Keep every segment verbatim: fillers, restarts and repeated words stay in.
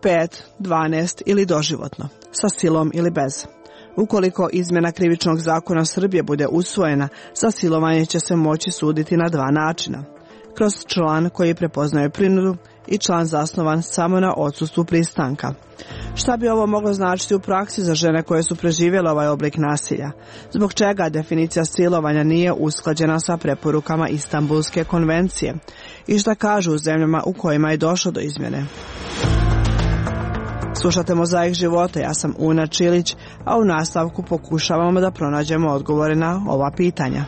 pet, dvanaest ili doživotno, sa silom ili bez. Ukoliko izmjena krivičnog zakona Srbije bude usvojena, za silovanje će se moći suditi na dva načina. Kroz član koji prepoznaje prinudu i član zasnovan samo na odsustvu pristanka. Šta bi ovo moglo značiti u praksi za žene koje su preživjele ovaj oblik nasilja? Zbog čega definicija silovanja nije usklađena sa preporukama Istanbulske konvencije? I šta kažu u zemljama u kojima je došlo do izmjene? Slušate Mozaik života, ja sam Una Čilić, a u nastavku pokušavamo da pronađemo odgovore na ova pitanja.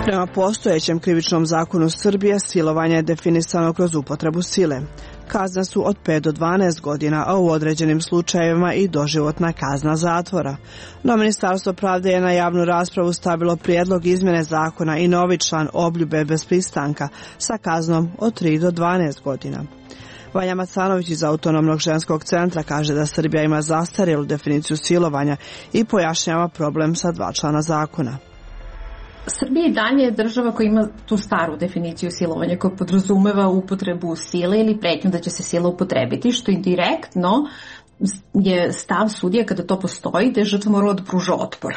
Prema postojećem krivičnom zakonu Srbije, silovanje je definisano kroz upotrebu sile. Kazne su od pet do dvanaest godina, a u određenim slučajevima i doživotna kazna zatvora. No Ministarstvo pravde je na javnu raspravu stavilo prijedlog izmjene zakona i novi član obljube bez pristanka sa kaznom od tri do dvanaest godina. Vanja Macanović iz Autonomnog ženskog centra kaže da Srbija ima zastarjelu definiciju silovanja i pojašnjava problem sa dva člana zakona. Srbija i dalje je država koja ima tu staru definiciju silovanja koja podrazumeva upotrebu sile ili pretnju da će se sila upotrebiti, što indirektno je stav sudija kada to postoji da je žrtva morala da pruža otpor.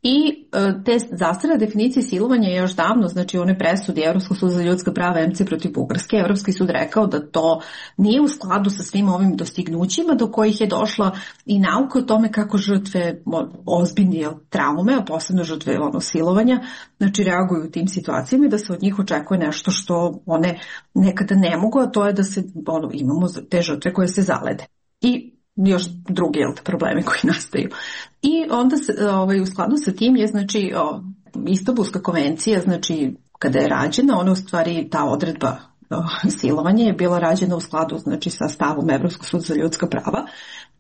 I te zastarjele definicije silovanja je još davno, znači one presudi Evropskog suda za ljudska prava em ce protiv Bugarske, Evropski sud rekao da to nije u skladu sa svim ovim dostignućima do kojih je došla i nauka o tome kako žrtve ozbiljne traume, a posebno žrtve ono, silovanja, znači reaguju u tim situacijama i da se od njih očekuje nešto što one nekada ne mogu, a to je da se ono, imamo te žrtve koje se zalede. I još drugi problemi koji nastaju. I onda se, ovaj, u skladu sa tim je znači o, Istanbulska konvencija, znači kada je rađena, ona u stvari ta odredba o, silovanje je bila rađena u skladu znači sa stavom Evropskog suda za ljudska prava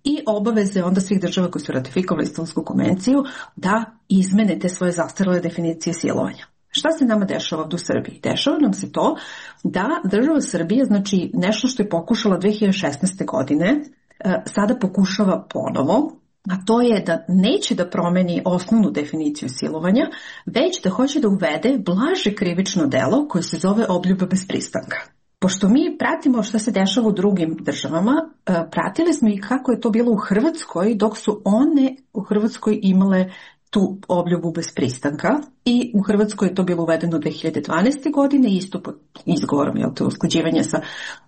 i obaveze onda svih država koji su ratifikovali Istanbulsku konvenciju da izmene te svoje zastarjele definicije silovanja. Šta se nama dešava ovdje u Srbiji? Dešava nam se to da država Srbije, znači nešto što je pokušala dve hiljade šesnaeste. godine, sada pokušava ponovo, a to je da neće da promeni osnovnu definiciju silovanja, već da hoće da uvede blaže krivično delo koje se zove obljuba bez pristanka. Pošto mi pratimo šta se dešava u drugim državama, pratili smo i kako je to bilo u Hrvatskoj, dok su one u Hrvatskoj imale tu obljubu bez pristanka i u Hrvatskoj je to bilo uvedeno dve hiljade dvanaeste. godine, isto pod izgovorom, jel to usklađivanje sa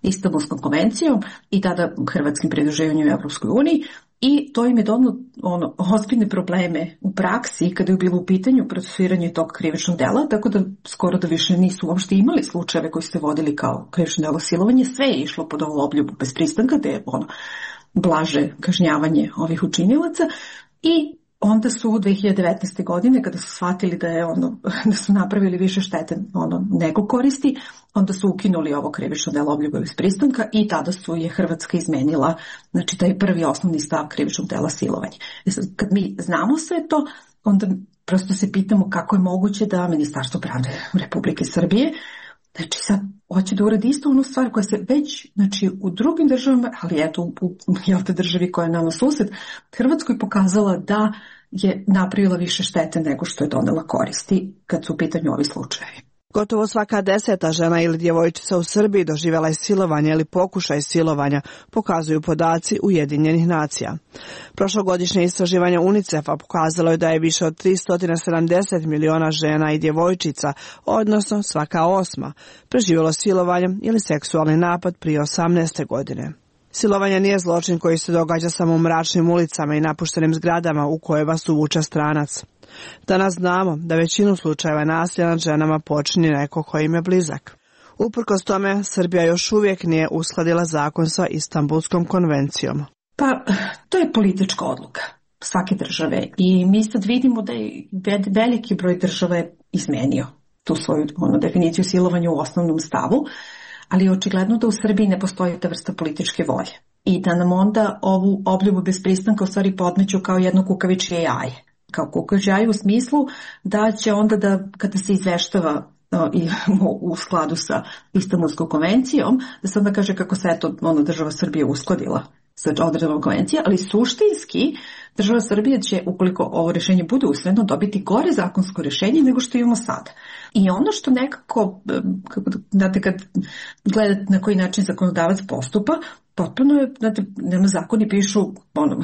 Istanbulskom konvencijom i tada hrvatskim pridruživanjem u Evropskoj uniji i to im je donalo ono, ozbiljne probleme u praksi kada je bilo u pitanju procesuiranje tog krivičnog dela, tako da skoro da više nisu uopšte imali slučajeve koji ste vodili kao krivično delo silovanje, sve je išlo pod ovu obljubu bez pristanka, da je ono blaže kažnjavanje ovih učinilaca i onda su u dve hiljade devetnaeste. godine, kada su shvatili da, je ono, da su napravili više štete ono, nego koristi, onda su ukinuli ovo krivično delo obljuba bez pristanka i tada su je Hrvatska izmenila, znači taj prvi osnovni stav krivičnog dela silovanja. Kad mi znamo sve to, onda prosto se pitamo kako je moguće da Ministarstvo pravde Republike Srbije, znači sad hoće da uradi isto onu stvar koja se već, znači u drugim državama, ali eto u, u jel te državi koja je nama sused, Hrvatskoj pokazala da je napravila više štete nego što je donela koristi kad su u pitanju ovi slučajevi. Gotovo svaka deseta žena ili djevojčica u Srbiji doživjela je silovanje ili pokušaj silovanja, pokazuju podaci Ujedinjenih nacija. Prošlogodišnje istraživanje UNICEF-a pokazalo je da je više od tristo sedamdeset miliona žena i djevojčica, odnosno svaka osma, preživjelo silovanje ili seksualni napad prije osamnaeste. godine. Silovanje nije zločin koji se događa samo u mračnim ulicama i napuštenim zgradama u koje vas uvuče stranac. Danas znamo da većinu slučajeva nasilja nad ženama počini neko koji im je blizak. Uprkos tome, Srbija još uvijek nije uskladila zakon sa Istanbulskom konvencijom. Pa, to je politička odluka svake države i mi sad vidimo da je veliki broj država je izmenio tu svoju ono, definiciju silovanja u osnovnom stavu, ali je očigledno da u Srbiji ne postoji ta vrsta političke volje i da nam onda ovu obljubu bez pristanka u stvari podmeću kao jedno kukavičje jaje. Kao kukavičje jaje u smislu da će onda da kada se izveštava i u skladu sa Istanbulskom konvencijom, da se onda kaže kako se eto ono država Srbije uskladila sa odredbama konvencije, ali suštinski država Srbija će, ukoliko ovo rješenje bude usvojeno, dobiti gore zakonsko rješenje nego što imamo sada. I ono što nekako, kako, znate, kad gledate na koji način zakonodavac postupa, potpuno je, znate, nema zakoni pišu ono,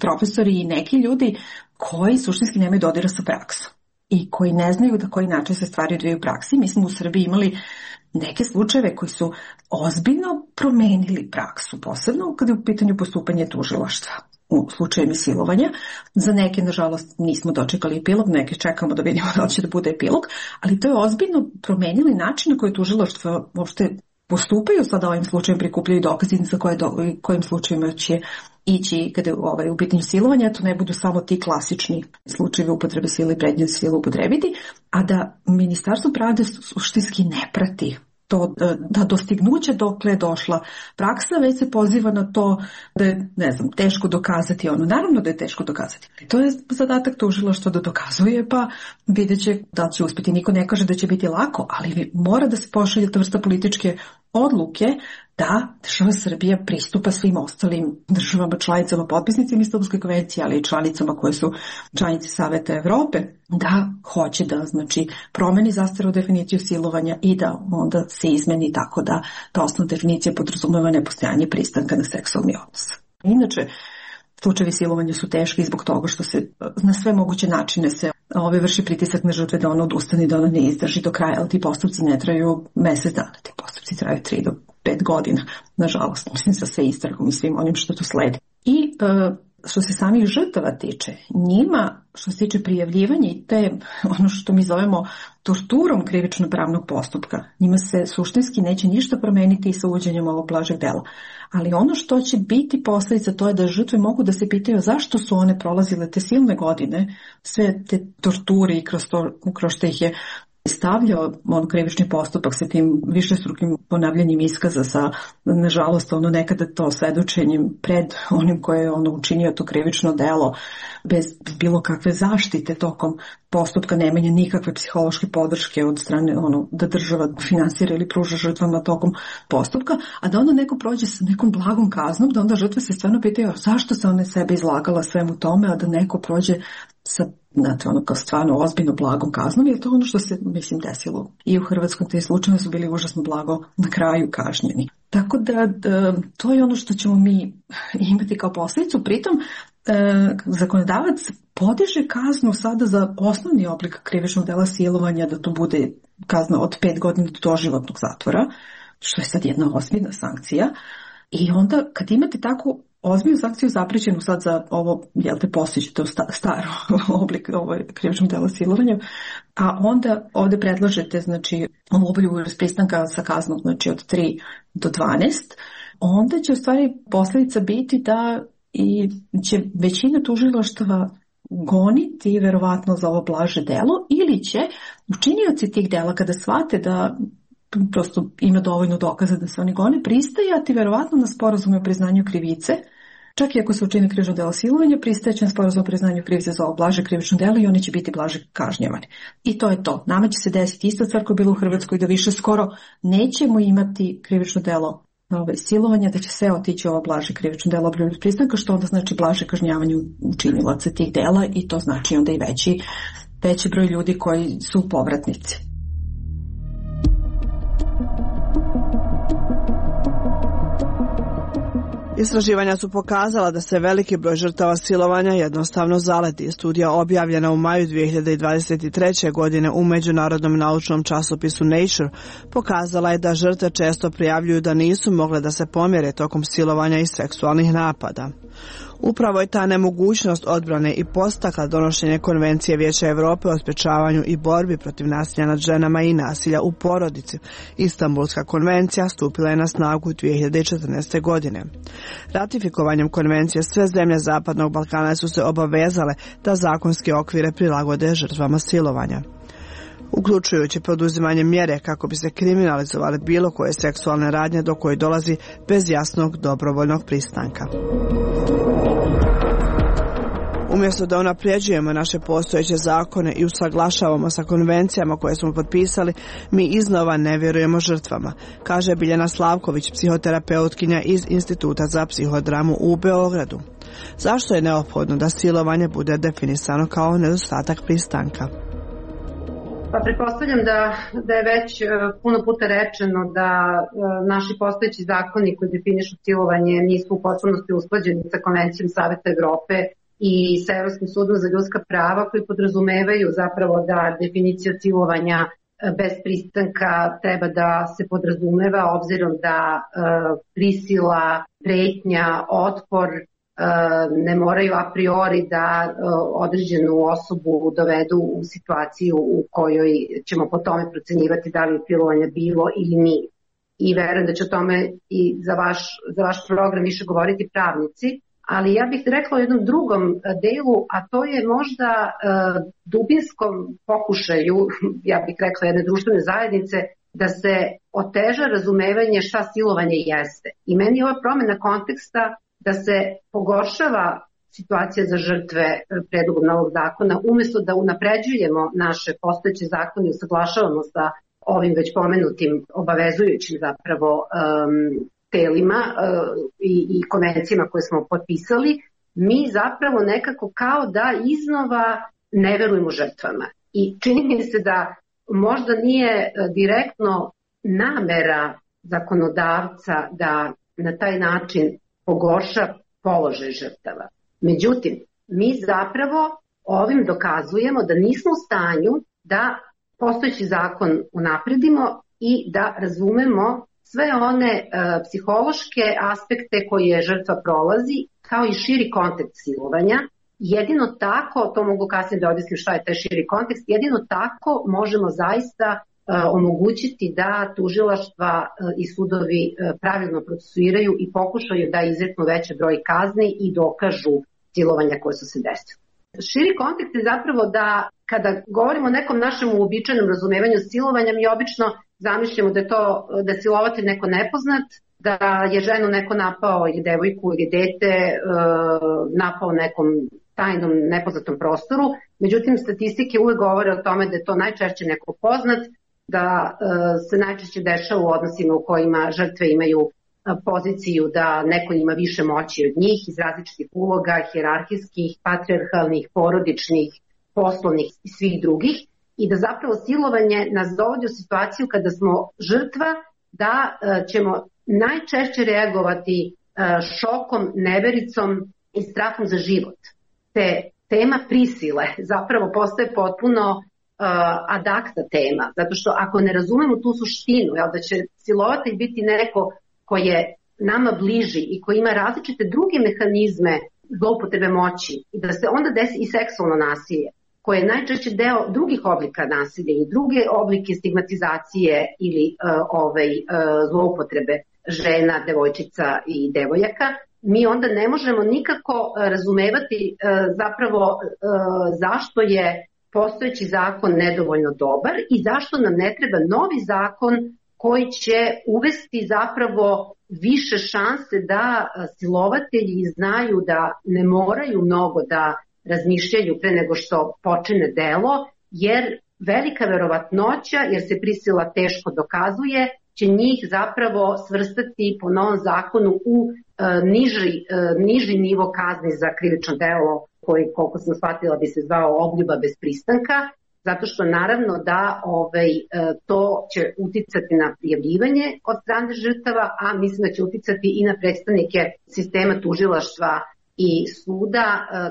profesori i neki ljudi koji suštinski nemaju dodira sa praksom i koji ne znaju da koji način se stvari odvijaju u praksi. Mi smo u Srbiji imali neke slučajeve koji su ozbiljno promenili praksu, posebno kada je u pitanju postupanje tužilaštva u slučaju silovanja. Za neke, nažalost, nismo dočekali epilog, neke čekamo da vidimo da će da bude epilog, ali to je ozbiljno promenili način na koji tužilaštva uopšte postupaju. Sada ovim slučajem prikupljaju dokaze za koje do, kojim slučajima će ići kada je ovaj, u pitanju silovanja, to ne budu samo ti klasični slučajevi upotrebe sile i pretnje sile upotrebiti, a da Ministarstvo pravde suštinski ne prati to, da dostignuće dokle je došla praksa, već se poziva na to da je, ne znam, teško dokazati ono. Naravno da je teško dokazati. To je zadatak tužilaštva da dokazuje, pa vidjet će da će uspjeti. Niko ne kaže da će biti lako, ali mora da se pošalje ta vrsta političke odluke da država Srbija pristupa svim ostalim državama, članicama, potpisnicima Istanbulske konvencije, ali i članicama koje su članice Saveta Evrope, da hoće da, znači, promeni zastarnu definiciju silovanja i da onda se izmeni tako da ta osnovna definicija podrazumeva nepostojanje pristanka na seksualni odnos. Inače, slučajevi silovanja su teški zbog toga što se na sve moguće načine se ove vrši pritisak na žrtve da ona odustane, da ona ne izdrži do kraja, ali ti postupci ne traju mesec dana, ti postupci traju tri do pet godina, nažalost, mislim, sa sve istragom i svim onim što tu sledi. I e, što se samih žrtava tiče, njima, što se tiče prijavljivanja i te, ono što mi zovemo torturom krivično-pravnog postupka, njima se suštinski neće ništa promeniti i sa uvođenjem ovog blažeg dela. Ali ono što će biti posljedica, to je da žrtve mogu da se pitaju zašto su one prolazile te silne godine, sve te torture i kroz, to, kroz što ih je stavljao on krivični postupak sa tim višestrukim ponavljanjem iskaza, sa, nažalost, ono nekada to svedočenjem pred onim koje je ono učinio to krivično delo bez bilo kakve zaštite tokom postupka, nemanja nikakve psihološke podrške od strane ono da država finansira ili pruža žrtvama tokom postupka, a da onda neko prođe sa nekom blagom kaznom, da onda žrtve se stvarno pitaju zašto se one sebe izlagala svemu tome, a da neko prođe sa, znate, ono kao stvarno ozbiljno blagom kaznom, je to ono što se, mislim, desilo. I u Hrvatskom te slučajeve su bili užasno blago na kraju kažnjeni. Tako da, da to je ono što ćemo mi imati kao posljedicu. Pritom, e, zakonodavac podiže kaznu sada za osnovni oblik krivičnog dela silovanja, da to bude kazna od pet godina do doživotnog zatvora, što je sad jedna ozbiljna sankcija. I onda kad imate takvu ozbiljnu sankciju zaprećenu sad za ovo, jel te postići, to staro oblik ovo krivičnog dela silovanja, a onda ovdje predlažete, znači, ovolju vrstu pristanka sa kaznom, znači, od tri do dvanaest, onda će u stvari posljedica biti da i će većina tužilaštava goniti verovatno za ovo blaže delo, ili će učinioci tih dela kada shvate da prosto ima dovoljno dokaza da se oni gone, pristajati verovatno na sporazume o priznanju krivice, čak i ako se učini krivično delo silovanja, pristajeće na sporazum o priznanju krivice za ovo blaže krivično delo i oni će biti blaže kažnjavani. I to je to. Nama će se desiti ista stvar koja je bila u Hrvatskoj, da više skoro nećemo imati krivično delo ove, silovanja, da će sve otići ovo blaže krivično delo obljubljenog pristanka, što onda znači blaže kažnjavanje učinilaca tih dela i to znači onda i veći, veći broj ljudi koji su povratnici. Istraživanja su pokazala da se veliki broj žrtava silovanja jednostavno zaleti. Studija objavljena u maju dvije hiljade dvadeset treće. godine u međunarodnom naučnom časopisu Nature pokazala je da žrtve često prijavljuju da nisu mogle da se pomjere tokom silovanja i seksualnih napada. Upravo je ta nemogućnost odbrane i podstakla donošenje Konvencije Vijeća Europe o sprečavanju i borbi protiv nasilja nad ženama i nasilja u porodici. Istanbulska konvencija stupila je na snagu dvije hiljade četrnaeste. godine. Ratifikovanjem konvencije sve zemlje Zapadnog Balkana su se obavezale da zakonske okvire prilagode žrtvama silovanja, uključujući poduzimanje mjere kako bi se kriminalizovale bilo koje seksualne radnje do koje dolazi bez jasnog dobrovoljnog pristanka. U Umjesto da unapređujemo naše postojeće zakone i usaglašavamo sa konvencijama koje smo potpisali, mi iznova ne vjerujemo žrtvama, kaže Biljana Slavković, psihoterapeutkinja iz Instituta za psihodramu u Beogradu. Zašto je neophodno da silovanje bude definisano kao nedostatak pristanka? Pa pretpostavljam da, da je već puno puta rečeno da naši postojeći zakoni koji definišu silovanje nisu u potpunosti usklađeni sa Konvencijom Saveta Evrope i sa Evropskim sudom za ljudska prava, koji podrazumevaju zapravo da definicija silovanja bez pristanka treba da se podrazumeva, obzirom da prisila, pretnja, otpor ne moraju a priori da određenu osobu dovedu u situaciju u kojoj ćemo po tome procenjivati da li je silovanje bilo ili nije. I verujem da će o tome i za vaš, za vaš program više govoriti pravnici, ali ja bih rekla o jednom drugom delu, a to je možda dubinskom pokušaju, ja bih rekla jedne društvene zajednice, da se oteža razumevanje šta silovanje jeste. I meni je ova promjena konteksta da se pogoršava situacija za žrtve predlogom novog zakona, umjesto da unapređujemo naše postojeće zakone i usaglašavamo sa ovim već pomenutim obavezujućim zapravo um, telima uh, i, i konvencijama koje smo potpisali, mi zapravo nekako kao da iznova ne verujemo žrtvama. I čini mi se da možda nije direktno namera zakonodavca da na taj način pogorša položaj žrtava. Međutim, mi zapravo ovim dokazujemo da nismo u stanju da postojeći zakon unapredimo i da razumemo sve one e, psihološke aspekte koje žrtva prolazi, kao i širi kontekst silovanja. Jedino tako, to mogu kasnije da objasnim šta je taj širi kontekst, jedino tako možemo zaista omogućiti da tužilaštva i sudovi pravilno procesuiraju i pokušaju da izreknu veći broj kazni i dokažu silovanja koje su se desile. Širi kontekst je zapravo da kada govorimo o nekom našem uobičajenom razumevanju silovanja, mi obično zamišljamo da je to da je silovatelj neko nepoznat, da je ženu neko napao ili devojku ili dete napao nekom tajnom nepoznatom prostoru. Međutim, statistike uvek govore o tome da je to najčešće neko poznat, da se najčešće dešava u odnosima u kojima žrtve imaju poziciju da neko ima više moći od njih iz različitih uloga, hijerarhijskih, patrijarhalnih, porodičnih, poslovnih i svih drugih, i da zapravo silovanje nas dovodi u situaciju kada smo žrtva, da ćemo najčešće reagovati šokom, nevericom i strahom za život. Te tema prisile zapravo postaje potpuno ad acta tema, zato što ako ne razumemo tu suštinu, jel, da će silovatelj biti neko ko je nama bliži i koji ima različite druge mehanizme zloupotrebe moći, i da se onda desi i seksualno nasilje, koje je najčešće deo drugih oblika nasilja i druge oblike stigmatizacije ili uh, ovaj, uh, zloupotrebe žena, devojčica i devojaka, mi onda ne možemo nikako uh, razumevati uh, zapravo uh, zašto je postojeći zakon nedovoljno dobar i zašto nam ne treba novi zakon koji će uvesti zapravo više šanse da silovatelji znaju da ne moraju mnogo da razmišljaju pre nego što počine delo, jer velika verovatnoća, jer se prisila teško dokazuje, će njih zapravo svrstati po novom zakonu u e, niži, e, niži nivo kazni za krivično delo, koji, koliko sam shvatila, bi se zvao obljuba bez pristanka, zato što naravno da ovaj, to će uticati na prijavljivanje od strane žrtava, a mislim da će uticati i na predstavnike sistema tužilaštva i suda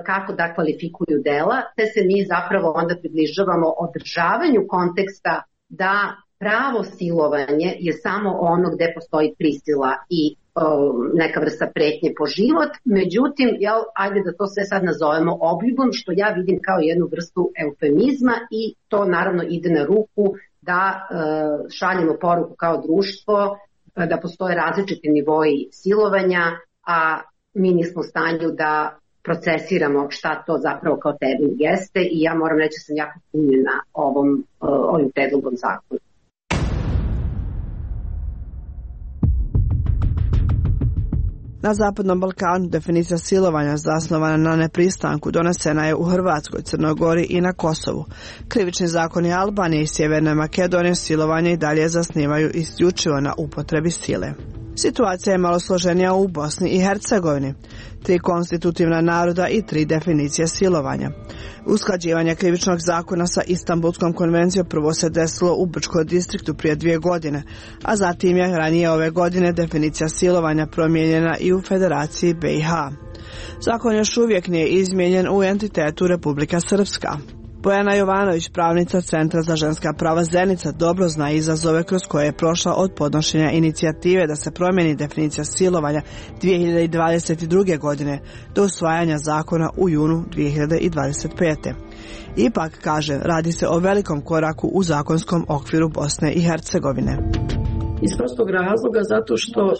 kako da kvalifikuju dela, te se mi zapravo onda približavamo održavanju konteksta da pravo silovanje je samo ono gde postoji prisila i neka vrsta pretnje po život. Međutim, jel, ajde da to sve sad nazovemo obljubom, što ja vidim kao jednu vrstu eufemizma, i to naravno ide na ruku da e, šaljemo poruku kao društvo da postoje različiti nivoi silovanja, a mi nismo u stanju da procesiramo šta to zapravo kao termin jeste, i ja moram reći da sam jako punjena ovom, ovim predlogom zakona. Na Zapadnom Balkanu definicija silovanja zasnovana na nepristanku donesena je u Hrvatskoj, Crnoj Gori i na Kosovu. Krivični zakoni Albanije i Sjeverne Makedonije silovanje i dalje zasnivaju isključivo na upotrebi sile. Situacija je malo složenija u Bosni i Hercegovini. Tri konstitutivna naroda i tri definicije silovanja. Usklađivanje krivičnog zakona sa Istanbulskom konvencijom prvo se desilo u Brčkom distriktu prije dvije godine, a zatim je ranije ove godine definicija silovanja promijenjena i u Federaciji B i H. Zakon još uvijek nije izmijenjen u entitetu Republika Srpska. Bojana Jovanović, pravnica Centra za ženska prava Zenica, dobro zna izazove kroz koje je prošla od podnošenja inicijative da se promijeni definicija silovanja dvije hiljade dvadeset druge. godine do usvajanja zakona u junu dvije hiljade dvadeset pete. Ipak, kaže, radi se o velikom koraku u zakonskom okviru Bosne i Hercegovine. Iz prostog razloga zato što e,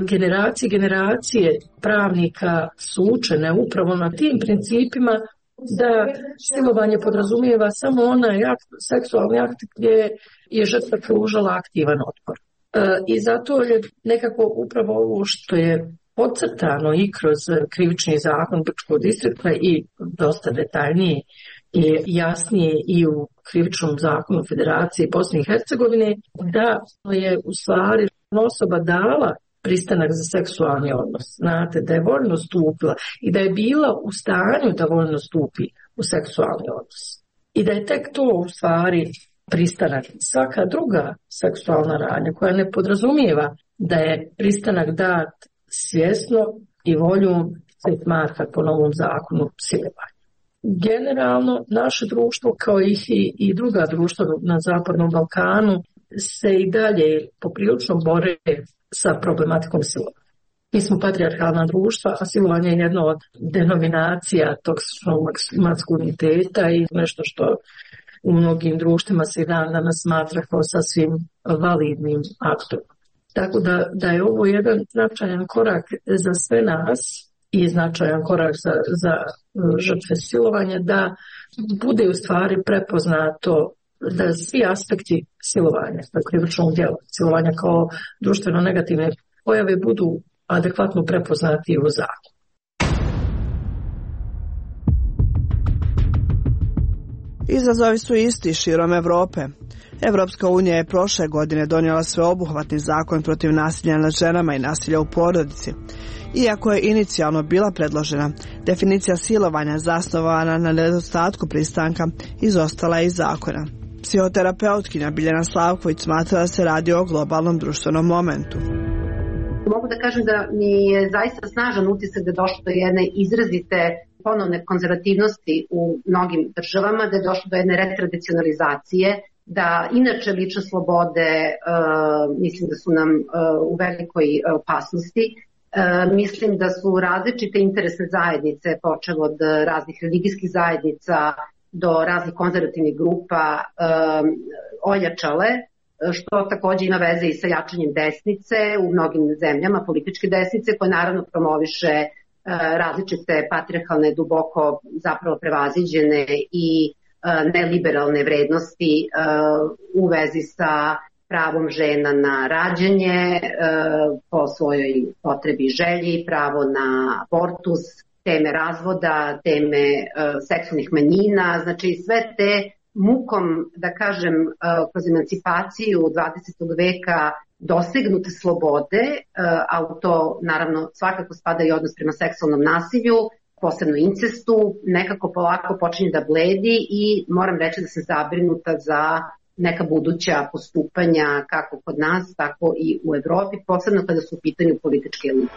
generacije generacije pravnika su učene upravo na tim principima da silovanje podrazumijeva samo onaj akt, seksualni akt gdje je žrtva pružala aktivan otpor. E, I zato je nekako upravo ovo što je podcrtano i kroz krivični zakon Brčkog distrikta i dosta detaljnije i jasnije i u krivičnom zakonu Federacije Bosne i Hercegovine, da je u stvari osoba dala pristanak za seksualni odnos. Znate, da je voljno stupila i da je bila u stanju da voljno stupi u seksualni odnos. I da je tek to u stvari pristanak. Svaka druga seksualna radnja koja ne podrazumijeva da je pristanak dat svjesno i voljom se smatra po novom zakonu silovanja. Generalno, naše društvo, kao i, i druga društva na Zapadnom Balkanu, se i dalje poprilično bore sa problematikom silovanja. Mi smo patrijarhalna društva, a silovanje je jedna od denominacija toksičnog maskuliniteta i nešto što u mnogim društvima se i dan danas smatra kao sasvim validnim aktom. Tako da, da je ovo jedan značajan korak za sve nas i značajan korak za, za žrtve silovanja, da bude u stvari prepoznato da svi aspekti silovanja, dakle krivičnog djela, silovanja kao društveno negativne pojave budu adekvatno prepoznati u zakonu. Izazovi su isti širom Europe. Evropska unija je prošle godine donijela sveobuhvatni zakon protiv nasilja nad ženama i nasilja u porodici. Iako je inicijalno bila predložena, definicija silovanja zasnovana na nedostatku pristanka izostala je iz zakona. Psihoterapeutkinja Biljana Slavković smatra da se radi o globalnom društvenom momentu. Mogu da kažem da mi je zaista snažan utisak da je došlo do jedne izrazite ponovne konzervativnosti u mnogim državama, da je došlo do jedne retradicionalizacije, da inače lične slobode uh, mislim da su nam uh, u velikoj opasnosti. Uh, mislim da su različite interesne zajednice, počev od raznih religijskih zajednica do raznih konzervativnih grupa, uh, ojačale, što također ima veze i sa jačanjem desnice u mnogim zemljama, političke desnice, koje naravno promoviše uh, različite patrijarhalne, duboko zapravo prevaziđene i neliberalne vrednosti u vezi sa pravom žena na rađanje po svojoj potrebi i želji, pravo na abortus, teme razvoda, teme seksualnih manjina, znači sve te mukom, da kažem, kroz emancipaciju dvadesetog veka dosegnute slobode, a u to naravno svakako spada i odnos prema seksualnom nasilju, posebno incestu, nekako polako počinje da bledi i moram reći da sam zabrinuta za neka buduća postupanja kako kod nas, tako i u Evropi, posebno kada su u pitanju političke elite.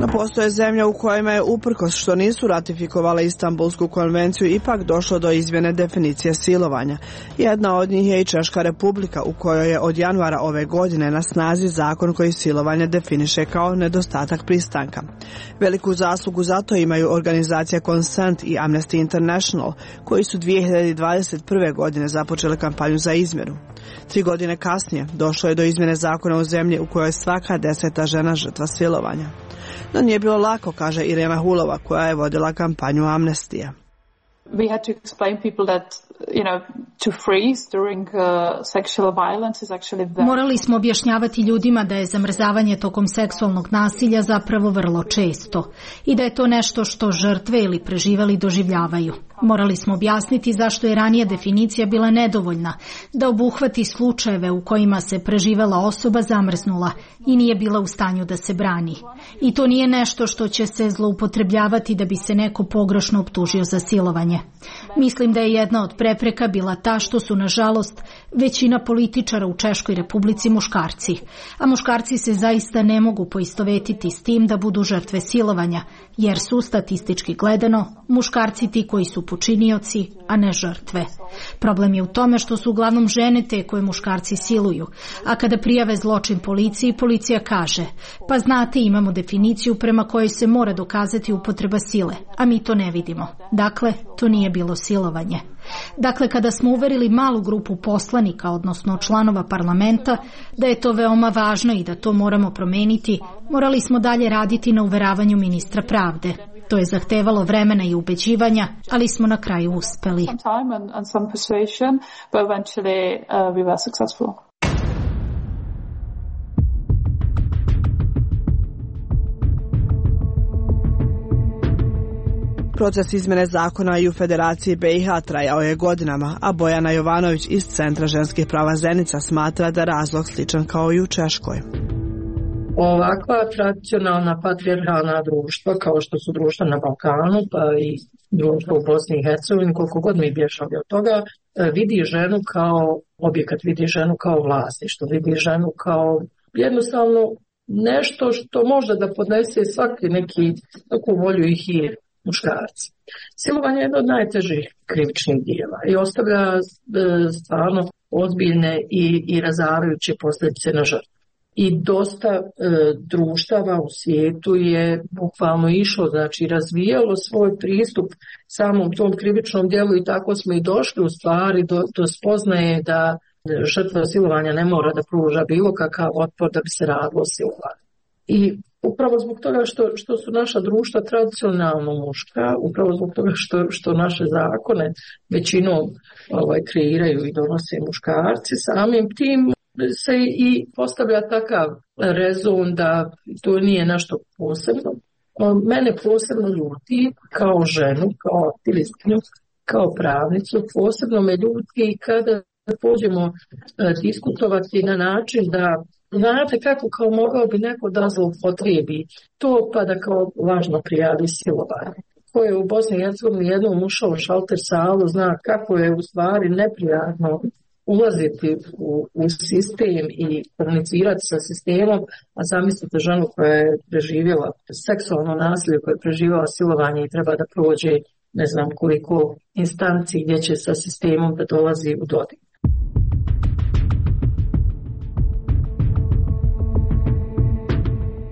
No postoje zemlje u kojima je, uprkos što nisu ratifikovale Istanbulsku konvenciju, ipak došlo do izmjene definicije silovanja. Jedna od njih je i Češka Republika, u kojoj je od januara ove godine na snazi zakon koji silovanje definiše kao nedostatak pristanka. Veliku zaslugu za to imaju organizacija Consent i Amnesty International, koji su dvije hiljade dvadeset prve. godine započele kampanju za izmjenu. Tri godine kasnije došlo je do izmjene zakona u zemlji u kojoj je svaka deseta žena žrtva silovanja. No nije bilo lako, kaže Irena Hulova, koja je vodila kampanju Amnestija. We had to explain people that, you know, Morali smo objašnjavati ljudima da je zamrzavanje tokom seksualnog nasilja zapravo vrlo često i da je to nešto što žrtve ili preživeli doživljavaju. Morali smo objasniti zašto je ranija definicija bila nedovoljna, da obuhvati slučajeve u kojima se preživela osoba zamrznula i nije bila u stanju da se brani. I to nije nešto što će se zloupotrebljavati da bi se neko pogrešno optužio za silovanje. Mislim da je jedna od prepreka bila ta što su, nažalost, većina političara u Češkoj Republici muškarci, a muškarci se zaista ne mogu poistovetiti s tim da budu žrtve silovanja, jer su, statistički gledano, muškarci ti koji su počinioci, a ne žrtve. Problem je u tome što su uglavnom žene te koje muškarci siluju, a kada prijave zločin policiji, policija kaže, pa znate, imamo definiciju prema kojoj se mora dokazati upotreba sile, a mi to ne vidimo. Dakle, to nije bilo silovanje. Dakle, kada smo uverili malu grupu poslanika, odnosno članova parlamenta, da je to veoma važno i da to moramo promeniti, morali smo dalje raditi na uveravanju ministra pravde. To je zahtevalo vremena i ubeđivanja, ali smo na kraju uspeli. Proces izmene zakona i u Federaciji B i H trajao je godinama, a Bojana Jovanović iz Centra ženskih prava Zenica smatra da razlog sličan kao i u Češkoj. Ovakva tradicionalna patrijarhalna društva, kao što su društva na Balkanu, pa i društvo u Bosni i Hercegovini, koliko god mi bježali od toga, vidi ženu kao objekat, vidi ženu kao vlasništvo, vidi ženu kao jednostavno nešto što može da podnese svaki neki takvu volju i hir muškarci. Silovanje je jedno od najtežih krivičnih dijela i ostavlja e, stvarno ozbiljne i, i razarajuće posljedice na žrtvu. I dosta e, društava u svijetu je bukvalno išlo, znači razvijalo svoj pristup samom tom krivičnom dijelu i tako smo i došli u stvari do, do spoznaje da žrtva silovanja ne mora da pruža bilo kakav otpor da bi se radilo o silovanju. I upravo zbog toga što, što su naša društva tradicionalno muška, upravo zbog toga što, što naše zakone većinom ovaj, kreiraju i donose muškarci, samim tim se i postavlja takav rezon da to nije nešto posebno. Mene posebno ljuti kao ženu, kao aktivistkinju, kao pravnicu, posebno me ljuti kada pođemo diskutovati na način da znate kako kao mogao bi neko da zloupotrebi to pa da kao važno prijavi silovanje. Ko je u Bosni i Hercegovini jednom ušao u šalter salu zna kako je u stvari neprijatno ulaziti u, u sistem i komunicirati sa sistemom, a zamislite ženu koja je preživjela seksualno nasilje, koja je preživjela silovanje i treba da prođe ne znam koliko instanci gdje će sa sistemom da dolazi u dodir.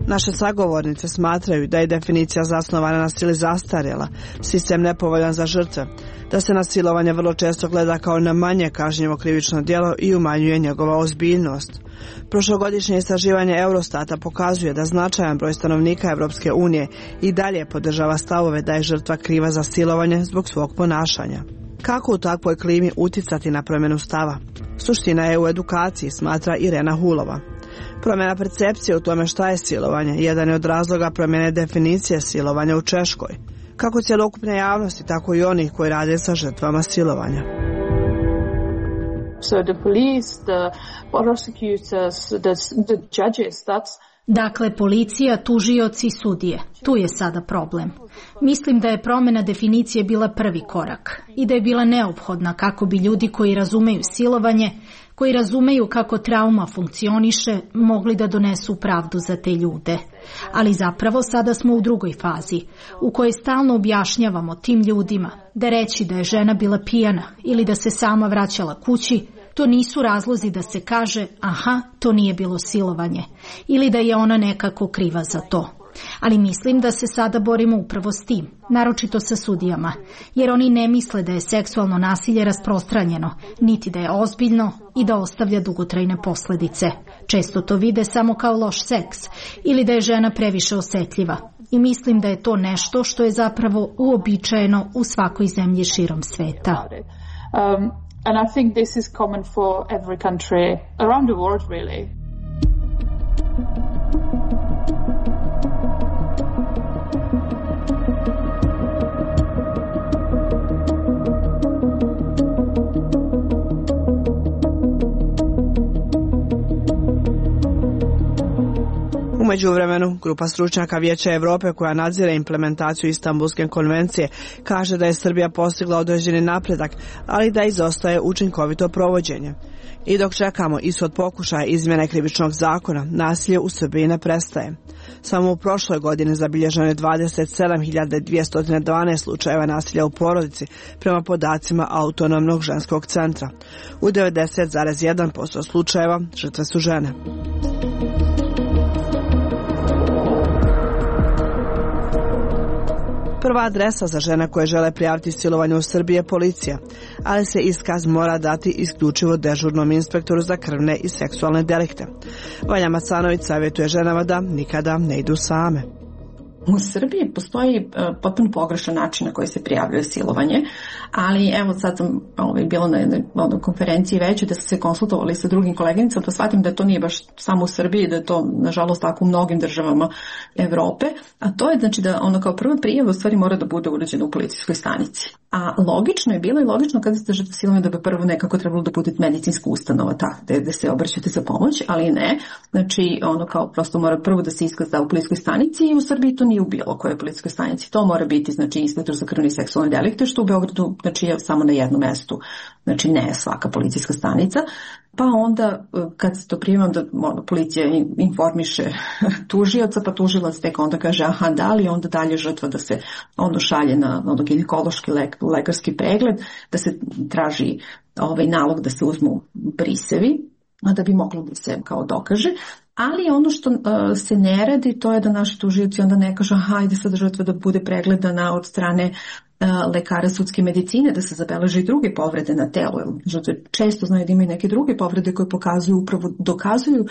Naše sagovornice smatraju da je definicija zasnovana na sili zastarjela, sistem nepovoljan za žrtve, da se na silovanje vrlo često gleda kao na manje kažnjivo krivično djelo i umanjuje njegova ozbiljnost. Prošlogodišnje istraživanje Eurostata pokazuje da značajan broj stanovnika Evropske unije i dalje podržava stavove da je žrtva kriva za silovanje zbog svog ponašanja. Kako u takvoj klimi uticati na promjenu stava? Suština je u edukaciji, smatra Irena Hulova. Promjena percepcije u tome šta je silovanje jedan je od razloga promjene definicije silovanja u Češkoj. Kako cjelokupne javnosti, tako i onih koji rade sa žrtvama silovanja. So the police, the prosecutors, the, the judges, that's Dakle, policija, tužioci, sudije. Tu je sada problem. Mislim da je promjena definicije bila prvi korak i da je bila neophodna kako bi ljudi koji razumeju silovanje, koji razumeju kako trauma funkcioniše, mogli da donesu pravdu za te ljude. Ali zapravo sada smo u drugoj fazi, u kojoj stalno objašnjavamo tim ljudima da reći da je žena bila pijana ili da se sama vraćala kući, to nisu razlozi da se kaže, aha, to nije bilo silovanje, ili da je ona nekako kriva za to. Ali mislim da se sada borimo upravo s tim, naročito sa sudijama, jer oni ne misle da je seksualno nasilje rasprostranjeno, niti da je ozbiljno i da ostavlja dugotrajne posljedice. Često to vide samo kao loš seks ili da je žena previše osjetljiva. I mislim da je to nešto što je zapravo uobičajeno u svakoj zemlji širom sveta. Um, And I think this is common for every country around the world, really. U međuvremenu, grupa stručnjaka Vijeća Evrope koja nadzire implementaciju Istanbulske konvencije kaže da je Srbija postigla određeni napredak, ali da izostaje učinkovito provođenje. I dok čekamo ishod pokušaja izmjene krivičnog zakona, nasilje u Srbiji ne prestaje. Samo u prošloj godini zabilježeno je dvadeset sedam hiljada dvjesto dvanaest slučajeva nasilja u porodici prema podacima Autonomnog ženskog centra. U devedeset zarez jedan posto slučajeva žrtve su žene. Prva adresa za žene koje žele prijaviti silovanje u Srbiji je policija, ali se iskaz mora dati isključivo dežurnom inspektoru za krvne i seksualne delikte. Vanja Macanović savjetuje ženama da nikada ne idu same. U Srbiji postoji uh, potpuno pogrešan način na koji se prijavljuje silovanje, ali evo sad sam ovaj, bila na jednoj ono, konferenciji većoj da su se konsultovali sa drugim koleginicama, pa shvatim da to nije baš samo u Srbiji, da je to nažalost tako u mnogim državama Evrope, a to je znači da ono kao prva prijava u stvari mora da bude urađena u policijskoj stanici. A logično je bilo i logično kada ste žrtva silovanja da bi prvo nekako trebalo da bude medicinska ustanova ta gde, gde se obraćate za pomoć, ali ne. Znači ono kao prosto mora prvo da se iskaz da u policijskoj stanici i u Srbiji to nije u bilo kojoj policijskoj stanici. To mora biti znači inspektor za krvne i seksualne delikte, što u Beogradu znači je samo na jednom mestu. Znači ne svaka policijska stanica. Pa onda kad se to prijema da policija informiše tužioca, pa tužilac tek onda kaže aha da li, onda dalje žrtva da se ono šalje na ono, ginekološki lek, lekarski pregled, da se traži ovaj nalog da se uzmu brisevi, da bi moglo da se kao dokaže. Ali ono što uh, se ne radi, to je da naši tužioci onda ne kažu hajde sad žrtva da bude pregledana od strane uh, lekara sudske medicine, da se zabeleže i druge povrede na telu. Žrtve često znaju da imaju neke druge povrede koje pokazuju, upravo dokazuju,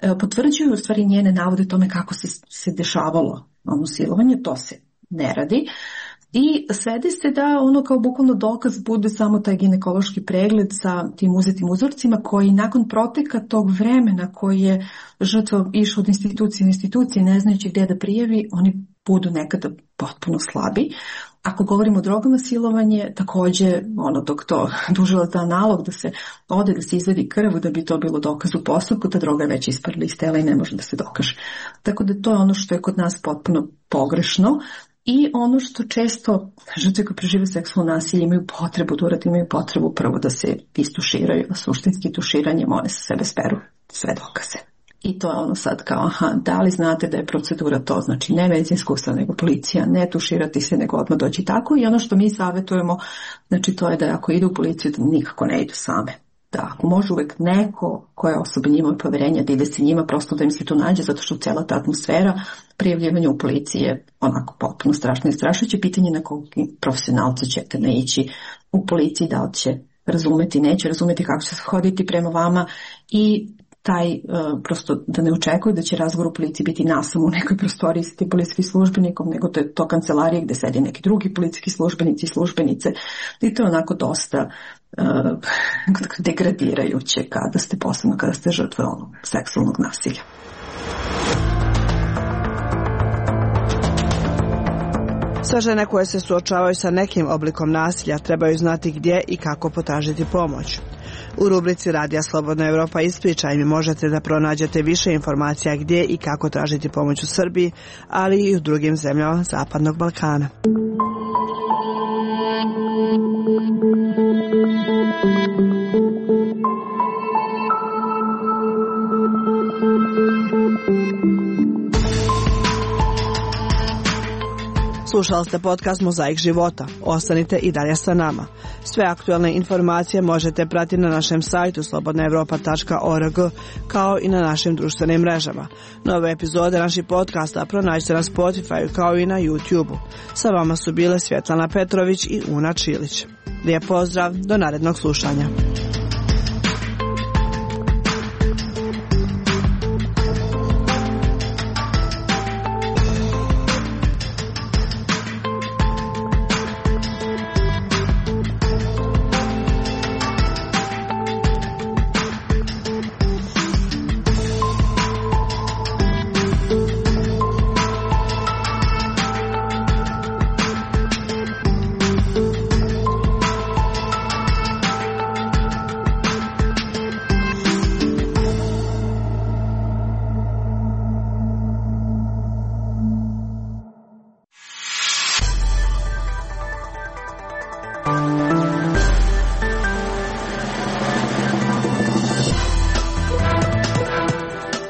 uh, potvrđuju u stvari njene navode tome kako se, se dešavalo ono silovanje, to se ne radi. I svede se da ono kao bukvalno dokaz bude samo taj ginekološki pregled sa tim uzetim uzorcima koji nakon proteka tog vremena koji je žrtva išao od institucije u institucije ne znajući gdje da prijavi, oni budu nekada potpuno slabi. Ako govorimo o drogama silovanje, također ono dok to tužilac da nalog da se ode da se izvedi krv da bi to bilo dokaz u postupku, ta droga je već isparila iz tela i ne može da se dokaže. Tako da to je ono što je kod nas potpuno pogrešno. I ono što često žrtve koje prežive seksualno nasilje imaju potrebu da urade, imaju potrebu prvo da se istuširaju, a suštinski tuširanjem one sa sebe speru sve dokaze. I to je ono sad kao, aha, da li znate da je procedura to, znači ne medicinska ustanova, nego policija, ne tuširati se, nego odmah doći tako. I ono što mi savjetujemo, znači to je da ako idu u policiju, da nikako ne idu same. Da ako može uvek neko koje osobe njima poverenja da ide se njima, prosto da im se to nađe, zato što cijela ta atmosfera prijavljivanja u policiji je onako potpuno strašno i strašujuće. Pitanje na kog profesionalca ćete naići u policiji, da li će razumeti, neće razumeti kako će se hoditi prema vama i taj uh, prosto da ne očekuju da će razgovor u policiji biti nasam u nekoj prostoriji sa tim policijskim službenikom, nego to je to kancelarije gde sedi neki drugi policijski službenici i službenice i to je onako dosta uh, degradirajuće kada ste posebno kada ste žrtve onog seksualnog nasilja. Sve žene koje se suočavaju sa nekim oblikom nasilja trebaju znati gdje i kako potražiti pomoć. U rubrici Radija Slobodna Evropa ispričaj mi možete da pronađete više informacija gdje i kako tražiti pomoć u Srbiji, ali i u drugim zemljama Zapadnog Balkana. Slušali ste podcast Mozaik života. Ostanite i dalje sa nama. Sve aktualne informacije možete pratiti na našem sajtu slobodna evropa tačka org kao i na našim društvenim mrežama. Nove epizode naših podcasta pronađite na Spotify kao i na YouTube-u. Sa vama su bile Svjetlana Petrović i Una Čilić. Lijep pozdrav, do narednog slušanja.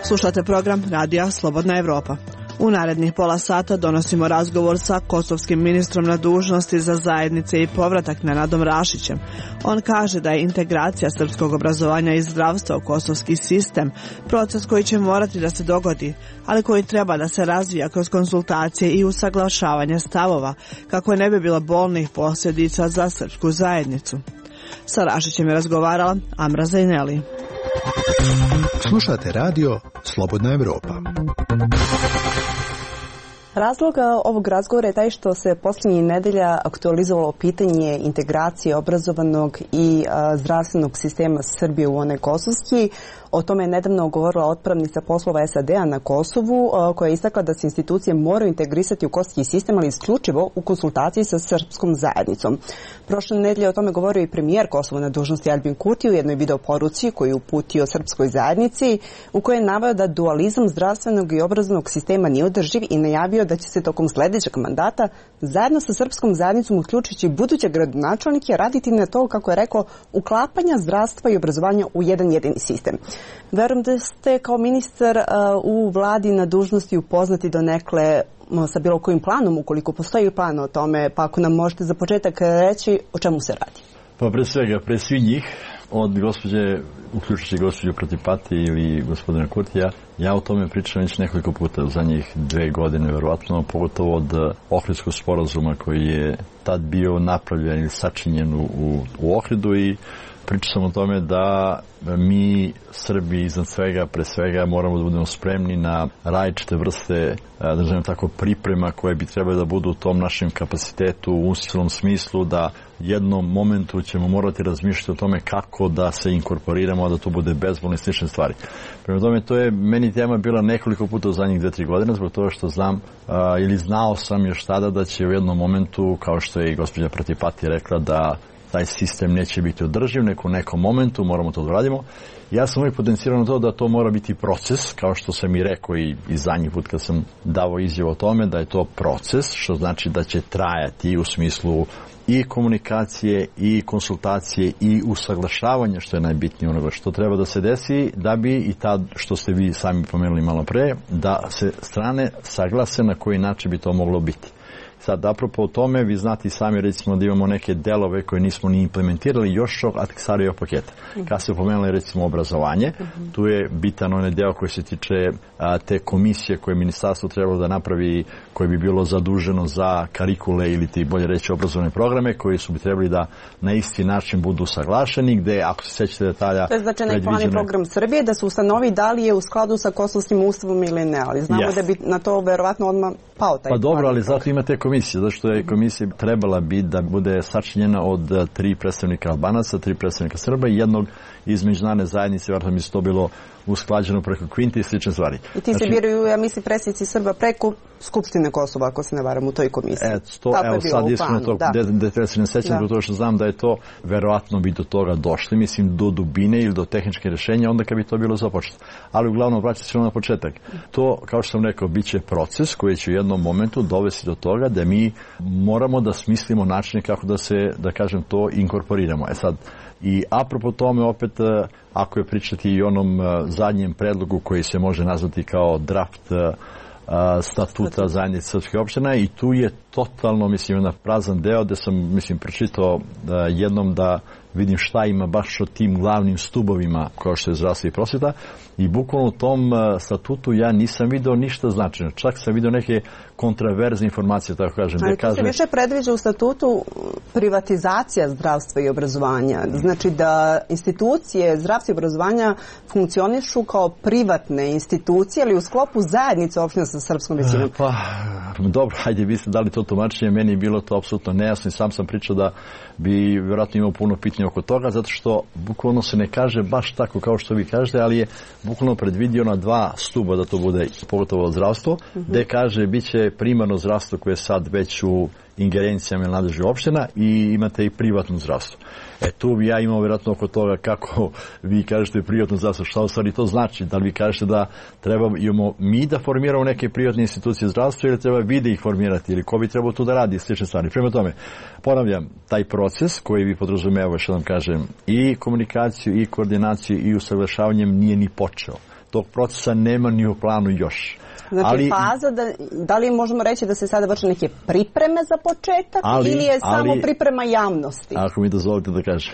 Slušate program Radija Slobodna Evropa. U narednih pola sata donosimo razgovor sa kosovskim ministrom na dužnosti za zajednice i povratak Nenadom Rašićem. On kaže da je integracija srpskog obrazovanja i zdravstva u kosovski sistem proces koji će morati da se dogodi, ali koji treba da se razvija kroz konsultacije i usaglašavanje stavova, kako ne bi bilo bolnih posljedica za srpsku zajednicu. Sa Rašićem je razgovarala Amra Zajneli. Slušate radio Slobodna Evropa. Razlog ovog razgovora je taj što se posljednjih nedelja aktualizovalo pitanje integracije obrazovanog i a, zdravstvenog sistema Srbije u onaj kosovski. O tome je nedavno govorila otpravnica poslova es a de a na Kosovu, a, koja je istakla da se institucije moraju integrisati u kosovski sistem, ali isključivo u konsultaciji sa srpskom zajednicom. Prošle nedelje o tome govorio i premijer Kosova na dužnosti Aljbin Kurti u jednoj video poruci koju je uputio srpskoj zajednici, u kojoj je naveo da dualizam zdravstvenog i obrazovnog sistema nije održiv i najavio da će se tokom sljedećeg mandata zajedno sa srpskom zajednicom, uključujući buduće gradonačelnike, raditi na to, kako je rekao, uklapanja zdravstva i obrazovanja u jedan jedini sistem. Verujem da ste kao ministar uh, u vladi na dužnosti upoznati donekle uh, sa bilo kojim planom, ukoliko postoji plan o tome, pa ako nam možete za početak reći o čemu se radi. Pa pre svega, pre svih njih, od gospođe, uključujući gospođu Protipati ili gospodina Kurtija, ja o tome pričam već nekoliko puta u zadnjih dve godine, verovatno, pogotovo od Ohridskog sporazuma koji je tad bio napravljen ili sačinjen u, u Ohridu, i pričao sam o tome da mi, Srbi, iznad svega, pre svega, moramo da budemo spremni na različite vrste, da nazovem tako, priprema koje bi trebali da budu u tom našem kapacitetu u institucionalnom smislu, da jednom momentu ćemo morati razmišljati o tome kako da se inkorporiramo, a da to bude bezbolno i slične stvari. Prema tome, to je meni tema bila nekoliko puta u zadnjih dve, tri godine, zbog toga što znam a, ili znao sam još tada da će u jednom momentu, kao što je i gospođa Pratipati rekla, da taj sistem neće biti održiv, neko u nekom momentu moramo to da radimo. Ja sam uvijek potencirao na to da to mora biti proces, kao što sam i rekao i, i zadnji put kad sam davao izjavu o tome, da je to proces, što znači da će trajati u smislu i komunikacije, i konsultacije, i usaglašavanja, što je najbitnije onoga što treba da se desi, da bi i tad, što ste vi sami pomenuli malo pre, da se strane saglase na koji način bi to moglo biti. Sad, apropo o tome, vi znate i sami, recimo, da imamo neke delove koje nismo ni implementirali još od Ahtisarijevog paketa. Kad se pomenuli, recimo, obrazovanje, uh-huh. tu je bitan onaj deo koji se tiče a, te komisije koje je ministarstvo trebalo da napravi, koje bi bilo zaduženo za karikule ili ti bolje reći obrazovne programe, koji su bi trebali da na isti način budu saglašeni, gde, ako se sećate detalja... To je znači predviđene... plan i program Srbije, da se ustanovi da li je u skladu sa kosovskim ustavom ili ne, ali znamo yes. da bi na to verovatno odmah pao taj Pa dobro, ali program. Zato imate komisije, zato što je komisija trebala biti da bude sačinjena od tri predstavnika Albanaca, tri predstavnika Srba i jednog iz međunarodne zajednice, vjerojatno mi se to bilo usklađeno preko Kvinti i slične stvari. I ti znači, se biraju, ja mislim, predsjednici Srba preko Skupštine Kosova, ako se ne varam, u toj komisiji. E, to, evo sad iskreno to, da se ne sećam, zbog toga što znam da je to, verovatno bi do toga došli, mislim, do dubine ili do tehničke rješenja, onda kad bi to bilo započeto. Ali uglavnom, vraćam se na početak. To, kao što sam rekao, bit će proces koji će u jednom momentu dovesti do toga da mi moramo da smislimo načine kako da se, da kažem, to inkorporiramo. E sad, i apropo tome, opet, ako je pričati i onom zadnjem predlogu koji se može nazvati kao draft statuta zajednice srpskih opština, i tu je totalno, mislim, na prazan deo gde sam, mislim, pročitao jednom da vidim šta ima baš o tim glavnim stubovima kao što je zdravstvo i prosveta, i bukvalno u tom statutu ja nisam video ništa značajno. Čak sam video neke kontraverzne informacije, tako kažem. Ali to se više predviđa u statutu privatizacija zdravstva i obrazovanja. Znači da institucije zdravstva i obrazovanja funkcionišu kao privatne institucije, ali u sklopu zajednice opština sa srpskom većinom. Pa, dobro, hajde, vi ste dali to tumačenje, meni je bilo to apsolutno nejasno i sam sam pričao da bi vjerojatno imao puno pitanja oko toga, zato što bukvalno se ne kaže baš tako kao što vi kažete, ali je bukvalno predvidio na dva stuba da to bude, pogotovo zdravstvo, uh-huh. gde kaže bit će primarno zdravstvo koje je sad već u ingerencijama ili nadležnih opština i imate i privatno zdravstvo. E tu bi ja imao vjerojatno oko toga kako vi kažete privatno zdravstvo, šta u stvari to znači, da li vi kažete da treba imamo mi da formiramo neke privatne institucije zdravstva ili treba vi da ih formirati ili ko bi trebao tu da radi slične stvari. Prema tome, ponavljam, taj proces koji bi podrazumevao, što vam kažem, i komunikaciju i koordinaciju i usaglašavanjem nije ni počeo. Tog procesa nema ni u planu još. Znači ali, faza, da, da li možemo reći da se sada vrše neke pripreme za početak ali, ili je samo ali, priprema javnosti? Ako mi dozvolite da kažem.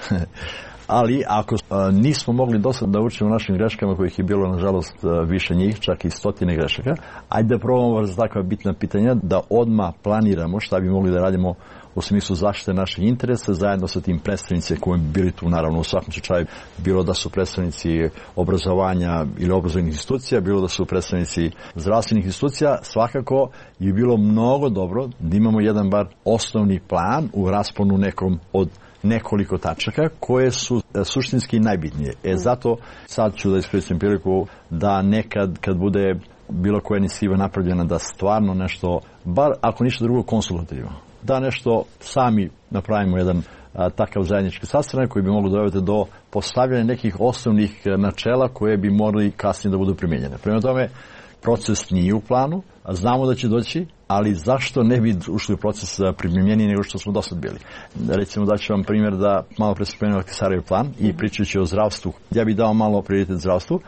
Ali ako a, nismo mogli do sada da učimo našim greškama, kojih je bilo nažalost više njih, čak i stotine grešaka, ajde da probamo za takva bitna pitanja da odmah planiramo šta bi mogli da radimo u smislu zaštite naših interesa zajedno sa tim predstavnicima koji bi bili tu, naravno u svakom slučaju, bilo da su predstavnici obrazovanja ili obrazovnih institucija, bilo da su predstavnici zdravstvenih institucija, svakako je bilo mnogo dobro da imamo jedan bar osnovni plan u rasponu nekom od nekoliko tačaka koje su suštinski najbitnije. E zato sad ću da iskoristim priliku da nekad kad bude bilo koja inicijativa napravljena da stvarno nešto, bar ako ništa drugo konsultativno, da nešto sami napravimo jedan a, takav zajednički sastanak koji bi mogli dovesti do postavljanja nekih osnovnih načela koje bi morali kasnije da budu primijenjene. Prema tome, proces nije u planu, a znamo da će doći, ali zašto ne bi ušli u proces primjenjeniji nego što smo do sad bili? Recimo da ću vam primjer da malo pre spomenuo Ahtisarijev plan i pričajući o zdravstvu. Ja bih dao malo prioritet zdravstvu.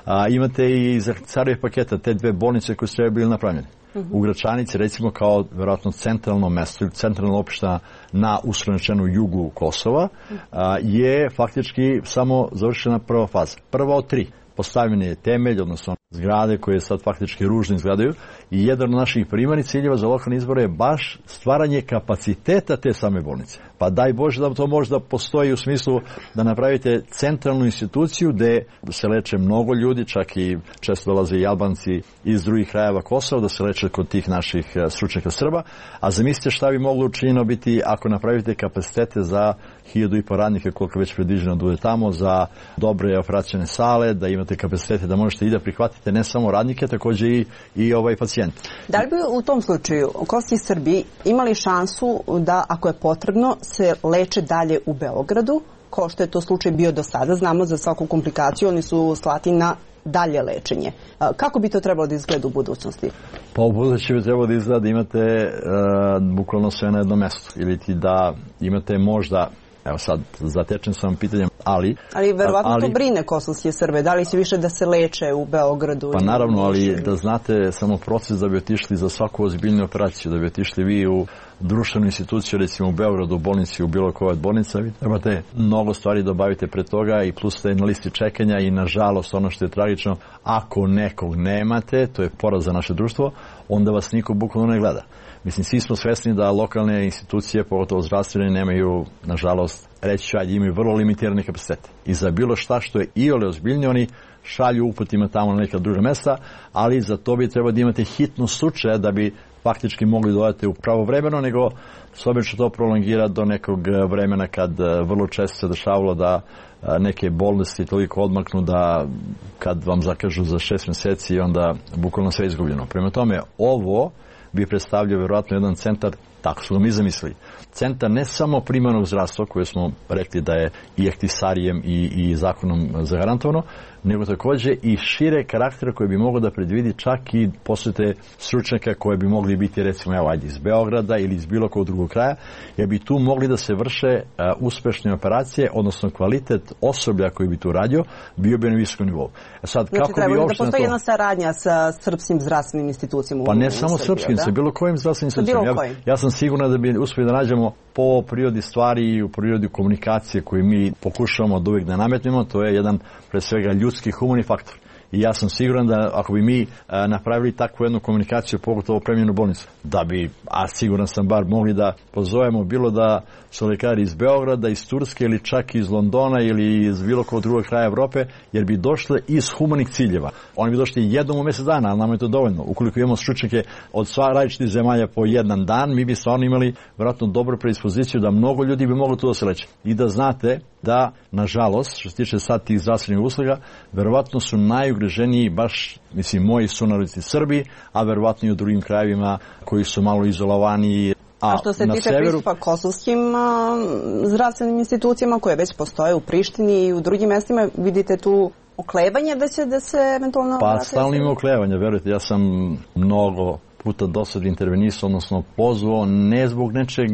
A, imate i iz Ahtisarijev paketa te dve bolnice koje su treba bili napravljene. U Gračanici, recimo, kao verovatno centralno mesto ili centralna opština na uslovno jugu Kosova, a, je faktički samo završena prva faza. Prva od tri. Postavljen je temelj, odnosno zgrade koje sad faktički ružno izgledaju i jedan od naših primarnih ciljeva za lokalne izbore je baš stvaranje kapaciteta te same bolnice. Pa daj Bože da to možda postoji u smislu da napravite centralnu instituciju gde se leče mnogo ljudi, čak i često dolaze i Albanci iz drugih krajeva Kosova da se leče kod tih naših stručnjaka Srba, a zamislite šta bi moglo učinjeno biti ako napravite kapacitete za hiljadu i po radnika koliko već predviđeno da bude tamo, za dobre operacione sale, da imate kapacitete da možete i da prihvatite ne samo radnike, takođe i, i ovaj pacijent. Da li bi u tom slučaju Kosti Srbi imali šansu da, ako je potrebno, se leče dalje u Beogradu, kao što je to slučaj bio do sada? Znamo za svaku komplikaciju, oni su slati na dalje lečenje. Kako bi to trebalo da izgleda u budućnosti? Pa u budućnosti bi trebalo da izgleda da imate uh, bukvalno sve na jednom mestu. Ili ti da imate možda, evo sad zatečen sam pitanjem, ali... Ali verovatno ali, to brine kosovske Srbe. Da li će više da se leče u Beogradu? Pa naravno, ali da znate samo proces da bi otišli za svaku ozbiljnu operaciju, da bi otišli vi u društvenu instituciju, recimo u Beogradu, u bolnici, u bilo kojoj od bolnica, vi trebate mnogo stvari da obavite pre toga i plus ste na listi čekanja i nažalost ono što je tragično, ako nekog nemate, to je poraz za naše društvo, onda vas niko bukvalno ne gleda. Mislim, svi smo svesni da lokalne institucije, pogotovo zdravstvene, nemaju, nažalost, reći ću, ajde, imaju vrlo limitirane kapacitete. I za bilo šta što je iole ozbiljnije, oni šalju uputima tamo na neka druga mesta, ali za to bi trebalo da imate hitno slučaje da bi faktički mogli dodati u pravovremeno, nego s obzirom što to prolongira do nekog vremena kad vrlo često se dešavalo da neke bolesti toliko odmaknu da kad vam zakažu za šest meseci onda bukvalno sve izgubljeno. Prema tome, ovo bi predstavljao vjerojatno jedan centar, tako su ga mi zamislili, centar ne samo primarnog zdravstva koje smo rekli da je i Ahtisarijem i, i zakonom zagarantovano, nego takođe i šire karaktera koje bi moglo da predvidi čak i posete stručnjaka koje bi mogli biti recimo evo ajde iz Beograda ili iz bilo kog drugog kraja, jer bi tu mogli da se vrše uh, uspešne operacije, odnosno kvalitet osoblja koji bi tu radio bio bi na visokom nivou. E sad, znači kako treba bi da postoji to... jedna saradnja sa srpskim zdravstvenim institucijama. Pa ne samo srpskim, sa bilo kojim zdravstvenim institucijama. Ja, ja sam siguran da bi uspeli da nađemo po prirodi stvari i u prirodi komunikacije koju mi pokušavamo da uvijek da nametnemo, to je jedan pre svega ljudski humani faktor. I ja sam siguran da ako bi mi a, napravili takvu jednu komunikaciju, pogotovo opremljenu bolnicu, da bi, a siguran sam bar, mogli da pozovemo bilo da su lekari iz Beograda, iz Turske ili čak iz Londona ili iz bilo kog drugog kraja Evrope, jer bi došle iz humanih ciljeva. Oni bi došli jednom u mjesec dana, ali nam je to dovoljno. Ukoliko imamo stručnjake od sva različitih zemalja po jedan dan, mi bi stvarno imali vjerojatno dobru predispoziciju da mnogo ljudi bi moglo tu da se leče. I da znate da, nažalost, što se tiče sad tih zdravstvenih usluga, verovatno su najugroženiji baš, mislim, moji sunarodnici Srbi, a verovatno i u drugim krajevima koji su malo izolovani A, a što se tiče severu... pristupa kosovskim a, zdravstvenim institucijama koje već postoje u Prištini i u drugim mestima, vidite tu oklevanje da će da se eventualno... Pa stalno ima oklevanje, verujte, ja sam mnogo puta do sad intervenisao, odnosno pozvao, ne zbog nečeg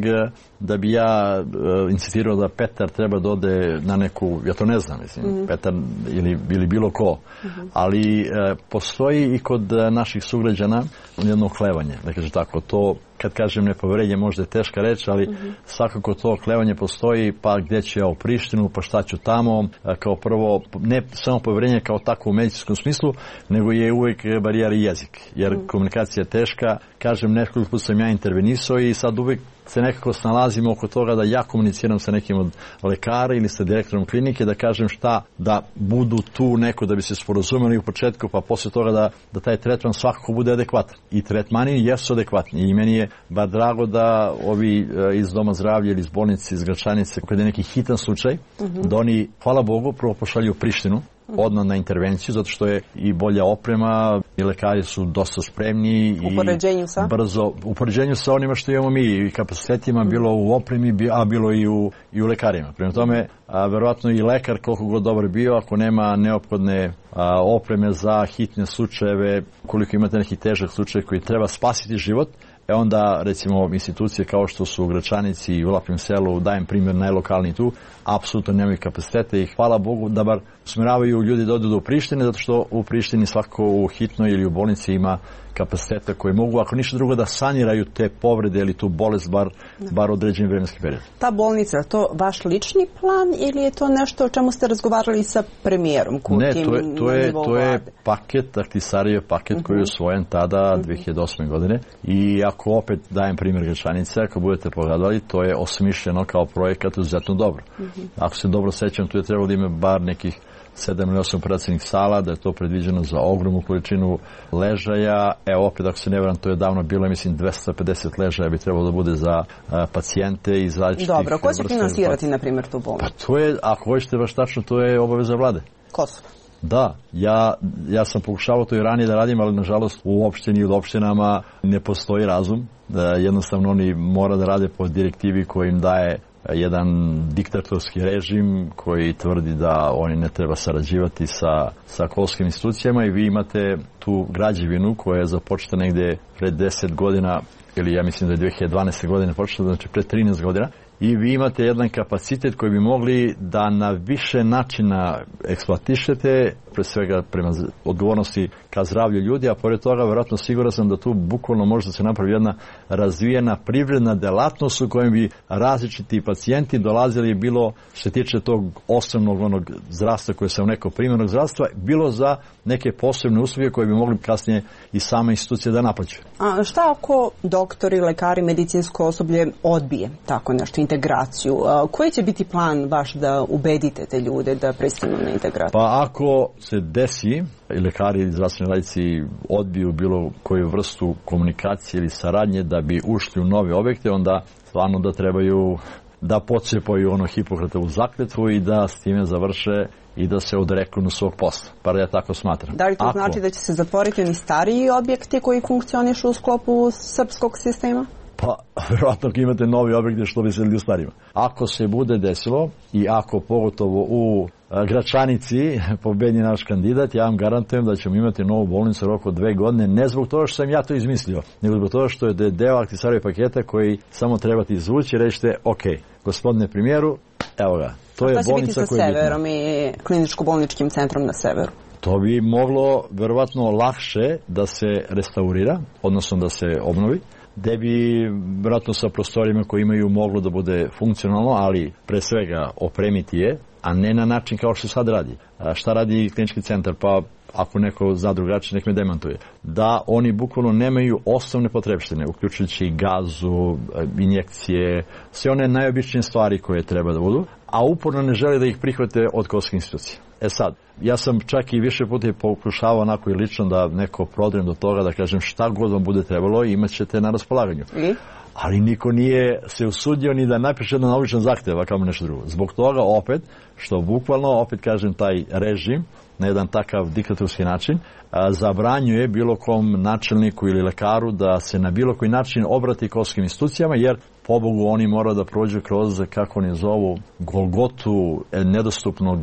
da bi ja uh, insistirao da Petar treba da ode na neku, ja to ne znam, mislim, mm-hmm. Petar ili, ili bilo ko, mm-hmm. ali uh, postoji i kod uh, naših sugrađana jedno oklevanje, da kažem tako, to kad kažem nepoverenje možda je teška reč, ali mm-hmm. svakako to oklevanje postoji, pa gdje ću ja u Prištinu, pa šta ću tamo, kao prvo, ne samo poverenje kao tako u medicinskom smislu, nego je uvijek barijera i jezik, jer mm-hmm. komunikacija je teška, kažem, nekoliko puta sam ja intervenisao i sad uvijek se nekako snalazimo oko toga da ja komuniciram sa nekim od lekara ili sa direktorom klinike, da kažem šta, da budu tu neko da bi se sporazumeli u početku, pa posle toga da, da taj tretman svakako bude adekvatan. I tretmani jesu adekvatni. I meni je bar drago da ovi iz Doma zdravlja ili iz bolnice, iz Gračanice, kada je neki hitan slučaj, mm-hmm. da oni, hvala Bogu, prvo pošalju u Prištinu, odmah na intervenciju, zato što je i bolja oprema, i lekari su dosta spremni i sa? brzo, u poređenju sa onima što imamo mi, i kapacitetima, bilo u opremi, a bilo i u, i u lekarima. Prema tome, a, verovatno i lekar, koliko god dobar bio, ako nema neophodne a, opreme za hitne slučajeve, koliko imate neki težak slučaj koji treba spasiti život, e onda, recimo, institucije kao što su u Gračanici i u Lapim selu, dajem primjer najlokalniji tu, apsolutno nemaju kapacitete i hvala Bogu da bar usmjeravaju ljudi da odu do Prištine, zato što u Prištini svako u hitnoj ili u bolnici ima kapaciteta koje mogu, ako ništa drugo, da saniraju te povrede ili tu bolest bar, bar određen vremenski period. Ta bolnica, to vaš lični plan ili je to nešto o čemu ste razgovarali sa premijerom Kurtijem? Ne, to je, to je, to je paket, Ahtisarijev paket uh-huh. koji je usvojen tada uh-huh. dve hiljade osme godine i ako opet dajem primjer Gračanice, ako budete pogledali, to je osmišljeno kao projekat izuzetno dobro. Uh-huh. Ako se dobro sećam, tu je trebalo da ima bar nekih sedam ili osam operacijnih sala, da je to predviđeno za ogromnu količinu ležaja. Evo, opet, ako se ne varam, to je davno bilo, mislim, dvesta pedeset ležaja bi trebalo da bude za a, pacijente iz različitih... Dobro, ko će finansirati, na primjer, tu bolnicu? Pa to je, ako hoćete baš tačno, to je obaveza vlade. Kosovo. Da, ja, ja sam pokušavao to i ranije da radim, ali nažalost u opštini i u opštinama ne postoji razum. Da jednostavno oni mora da rade po direktivi koji im daje jedan diktatorski režim koji tvrdi da oni ne treba sarađivati sa, sa kosovskim institucijama i vi imate tu građevinu koja je započeta negde pred deset godina ili ja mislim da je dve hiljade dvanaeste. godine počela, znači pred trinaest godina. I vi imate jedan kapacitet koji bi mogli da na više načina eksploatišete, pre svega prema odgovornosti ka zdravlju ljudi, a pored toga verovatno siguran sam da tu bukvalno može da se napravi jedna razvijena privredna delatnost u kojem bi različiti pacijenti dolazili bilo što se tiče tog osnovnog onog zdravstva koje se u neko primjernog zdravstva, bilo za neke posebne usluge koje bi mogli kasnije i sama institucija da naplaćuje. A šta ako doktori, lekari, medicinsko osoblje odbije tako nešto, integraciju? A koji će biti plan vaš da ubedite te ljude da pristanu na integraciju? Pa ako se desi i lekari i zdravstveni radnici odbiju bilo koju vrstu komunikacije ili saradnje da bi ušli u nove objekte, onda stvarno da trebaju da pocepaju ono Hipokratovu zakletvu i da s time završe i da se odreknu na svog posla. Pa ja tako smatram. Da li to Ako... znači da će se zatvoriti oni stariji objekti koji funkcionišu u sklopu srpskog sistema? Pa, vjerojatno imate novi objekte što bi se ljudi u starima. Ako se bude desilo i ako pogotovo u Gračanici pobedi naš kandidat, ja vam garantujem da ćemo imati novu bolnicu u roku dve godine, ne zbog toga što sam ja to izmislio, nego zbog toga što je deo Ahtisarijev paketa koji samo trebate izvući i rećete, ok, gospodine premijeru, evo ga, to je bolnica koja je bitna. Šta će biti sa severom i kliničko-bolničkim centrom na severu? To bi moglo verovatno lakše da se restaurira, odnosno da se obnovi, gde bi vjerojatno sa prostorima koji imaju moglo da bude funkcionalno, ali pre svega opremiti je, a ne na način kao što sad radi. A šta radi klinički centar? Pa ako neko zna drugačije, nek me demantuje. Da oni bukvalno nemaju osnovne potrebštine, uključujući gazu, injekcije, sve one najobičnije stvari koje treba da budu, a uporno ne žele da ih prihvate od kosovskih institucija. E sad, ja sam čak i više puta pokušavao onako i lično da neko prodrem do toga, da kažem šta god vam bude trebalo i imat ćete na raspolaganju. I? Ali niko nije se usudio ni da napiše jedan običan zahtev, a kao nešto drugo. Zbog toga opet, što bukvalno, opet kažem, taj režim na jedan takav diktatorski način, a, zabranjuje bilo kom načelniku ili lekaru da se na bilo koji način obrati kosovskim institucijama, jer pobogu oni moraju da prođu kroz, kako oni zovu, golgotu nedostupnog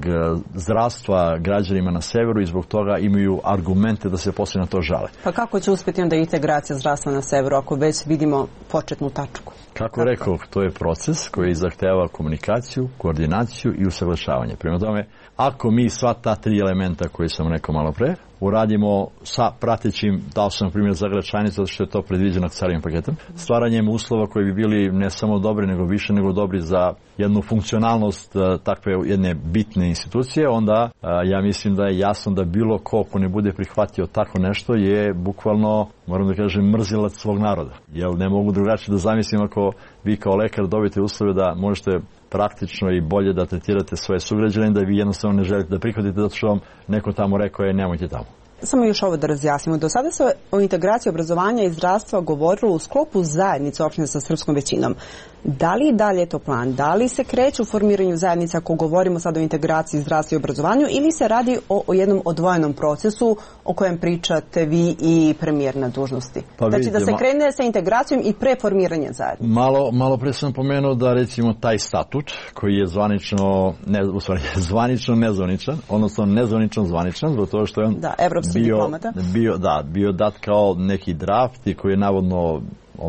zdravstva građanima na severu i zbog toga imaju argumente da se poslije na to žale. Pa kako će uspjeti onda integracija zdravstva na severu ako već vidimo početnu tačku? Kako rekao, to je proces koji zahteva komunikaciju, koordinaciju i usaglašavanje. Prema tome, ako mi sva ta tri elementa koje sam rekao malo pre, uradimo sa pratećim, dao sam primjer za Gračanicu, zato što je to predviđeno carim paketom, stvaranjem uslova koji bi bili ne samo dobri, nego više nego dobri za jednu funkcionalnost takve jedne bitne institucije, onda ja mislim da je jasno da bilo ko ko ne bude prihvatio tako nešto je bukvalno, moram da kažem, mrzilac svog naroda. Jer ne mogu drugačije da zamislim ako vi kao lekar dobijete uslove da možete praktično i bolje da tretirate svoje sugrađane, da vi jednostavno ne želite da prihvatite zato što vam neko tamo rekao je nemojte tamo. Samo još ovo da razjasnimo. Do sada se o integraciji obrazovanja i zdravstva govorilo u sklopu zajednice opštine sa srpskom većinom. Da li i dalje je to plan? Da li se kreće u formiranju zajednica ako govorimo sad o integraciji zdravstva i obrazovanju ili se radi o, o jednom odvojenom procesu o kojem pričate vi i premijer na dužnosti? Pa znači vidite, da se krene sa integracijom i pre formiranja zajednice. Malo, malo pre sam pomenuo da recimo taj statut koji je zvanično, ne, u stvari, zvanično nezvaničan, odnosno nezvanično zvaničan, zbog toga što je on da, evropski bio, diplomata. Bio, da, bio dat kao neki draft i koji je navodno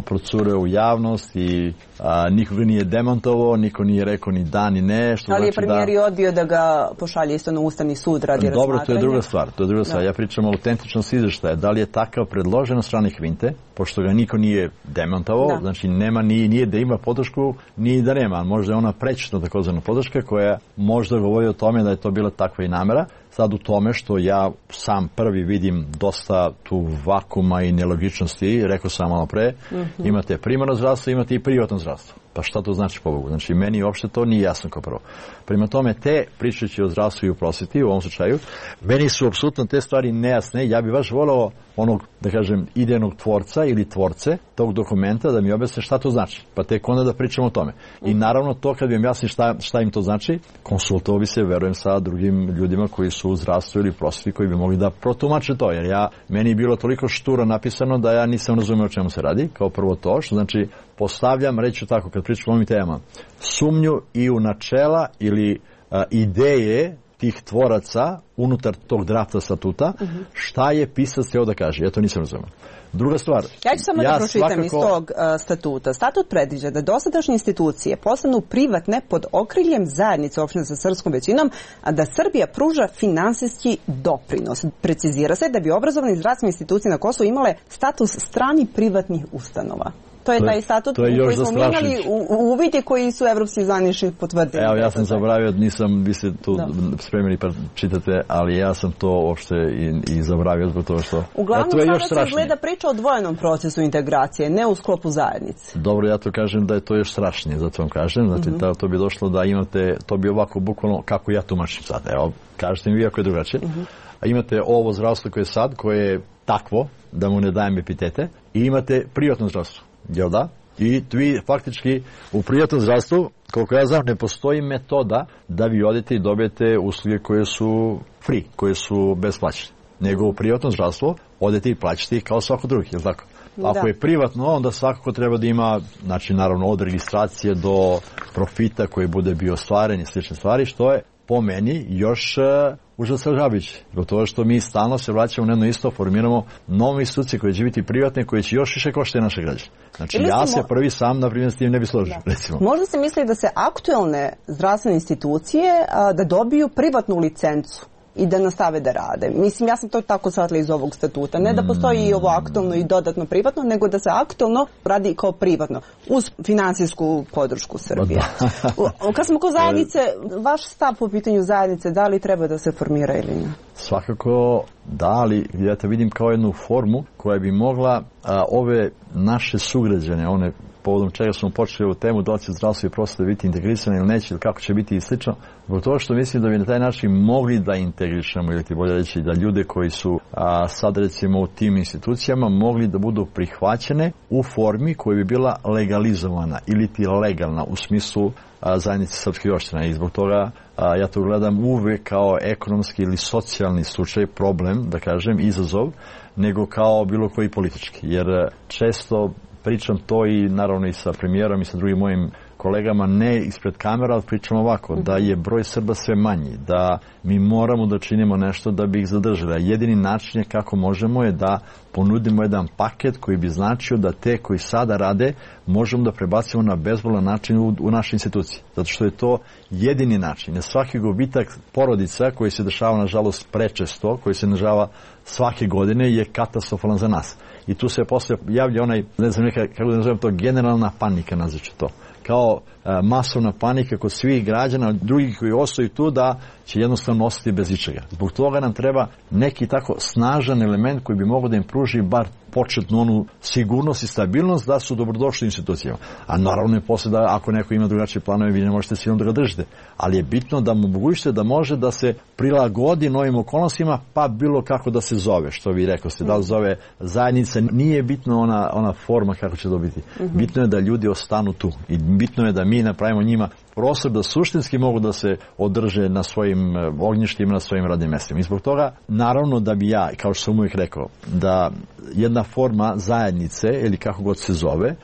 procureo u javnost i a, niko ga nije demantovao, niko nije rekao ni da ni ne. Što ali je znači premijer da... odbio da ga pošalje isto na Ustavni sud radi razmatranja. Dobro, to je druga stvar. To je druga stvar. Ja pričam o autentičnosti izveštaja. Da li je takav predložen od strane Hvinte, pošto ga niko nije demantovao, da. Znači nema, nije, nije da ima podršku, nije da nema. Možda je ona prečitna takozvana podrška koja možda govori o tome da je to bila takva i namera. Sad u tome što ja sam prvi vidim dosta tu vakuma i nelogičnosti, rekao sam malo pre, mm-hmm. imate primarno zdravstvo, imate i privatno zdravstvo. Pa šta to znači po Bogu? Znači meni uopšte to nije jasno kao prvo. Prema tome te, pričajući o zdravstvu i o prosveti u ovom slučaju, meni su apsolutno te stvari nejasne. Ja bih baš volao onog, da kažem, idejnog tvorca ili tvorce tog dokumenta da mi objasne šta to znači. Pa tek onda da pričamo o tome. I naravno to kad bi im jasni šta, šta im to znači, konsultovao bi se, verujem, sa drugim ljudima koji su u zdravstvu ili prosveti koji bi mogli da protumače to. Jer ja, meni je bilo toliko šturo napisano da ja nisam razumeo o čemu se radi. Kao prvo to, što znači postavljam, reći tako, kad pričam o ovim temama, sumnju i u načela ili a, ideje tih tvoraca unutar tog drafta statuta, uh-huh. šta je pisac htio da kaže. Ja to nisam razumio. Druga stvar. Ja ću samo ja da pročitam svakako... iz tog uh, statuta. Statut predviđa da dosadašnje institucije postanu privatne pod okriljem zajednice opštine sa srpskom većinom, a da Srbija pruža finansijski doprinos. Precizira se da bi obrazovne i zdravstvene institucije na Kosovu imale status strani privatnih ustanova. To je taj statut koji smo mijenjali u uvidi koji su evropski zvanični potvrdili. Evo, ja sam zaboravio, nisam, vi ste tu da. spremili pa čitate, ali ja sam to uopšte i, i zaboravio zbog toga što... Uglavnom, sada se gleda priča o dvojenom procesu integracije, ne u sklopu zajednice. Dobro, ja to kažem da je to još strašnije, zato vam kažem. Znači, uh-huh. to bi došlo da imate, to bi ovako bukvalno, kako ja tumačim sad. Evo, kažete mi vi ako je drugačije. Uh-huh. A imate ovo zdravstvo koje je sad, koje je takvo, da mu ne dajem epitete, i imate privatno zdravstvo. Jel da? I vi faktički u privatnom zdravstvu, koliko ja znam, ne postoji metoda da vi odete i dobijete usluge koje su free, koje su besplaćene. Nego u privatnom zdravstvu odete i plaćate ih kao svako drugi, jel tako? Da. Ako je privatno, onda svakako treba da ima, znači naravno od registracije do profita koji bude bio ostvaren i slične stvari, što je po meni još uh, užasavajuće. Zbog toga što mi stalno se vraćamo na jedno isto, formiramo nove institucije koje će biti privatne, koje će još više koštati naše građane. Znači ili ja se mo... prvi sam, na primjer, s tim ne bi složio. Recimo. Možda se misli da se aktuelne zdravstvene institucije a, da dobiju privatnu licencu i da nastave da rade. Mislim, ja sam to tako shvatila iz ovog statuta. Ne da postoji i ovo aktualno i dodatno privatno, nego da se aktualno radi kao privatno, uz finansijsku podršku Srbije. Kad smo kod zajednice, vaš stav po pitanju zajednice, da li treba da se formira ili ne? Svakako da, ali ja to vidim kao jednu formu koja bi mogla a, ove naše sugrađane, one povodom čega smo počeli ovu temu, da li će zdravstvo i prosveta biti integrisane ili neće, ili kako će biti i slično, zbog toga što mislim da bi na taj način mogli da integrišemo, ili ti bolje reći da ljude koji su a, sad recimo u tim institucijama mogli da budu prihvaćene u formi koja bi bila legalizovana ili ti legalna u smislu a, zajednice srpskih opština i zbog toga a, ja to gledam uvek kao ekonomski ili socijalni slučaj, problem, da kažem, izazov, nego kao bilo koji politički. Jer često pričam to i naravno i sa premijerom i sa drugim mojim kolegama, ne ispred kamera, ali pričamo ovako, da je broj Srba sve manji, da mi moramo da činimo nešto da bi ih zadržali. Jedini način je kako možemo je da ponudimo jedan paket koji bi značio da te koji sada rade možemo da prebacimo na bezbolan način u, u naše institucije. Zato što je to jedini način. Svaki gubitak porodica koji se dešava, nažalost, prečesto, koji se dešava svake godine je katastrofalan za nas. I tu se posle javlja onaj, ne znam neka, kako da nazovem to, generalna panika, nazvaću to. Kao a, masovna panika kod svih građana, drugih koji ostaju tu, da će jednostavno ostati bez ičega. Zbog toga nam treba neki tako snažan element koji bi mogao da im pruži bar početnu onu sigurnost i stabilnost da su dobrodošli institucijama. A naravno je posle da ako neko ima drugačije planove, vi ne možete silom da ga držite. Ali je bitno da mu omogućite da može da se prilagodi novim okolnostima, pa bilo kako da se zove, što vi rekao ste, da li zove zajednica, nije bitno ona, ona forma kako će dobiti. Mm-hmm. Bitno je da ljudi ostanu tu i bitno je da mi napravimo njima prostor da suštinski mogu da se održe na svojim ognjištima, na svojim radnim mestima. I zbog toga, naravno da bi ja, kao što sam uvijek rekao, da jedna forma zajednice, ili kako god se zove,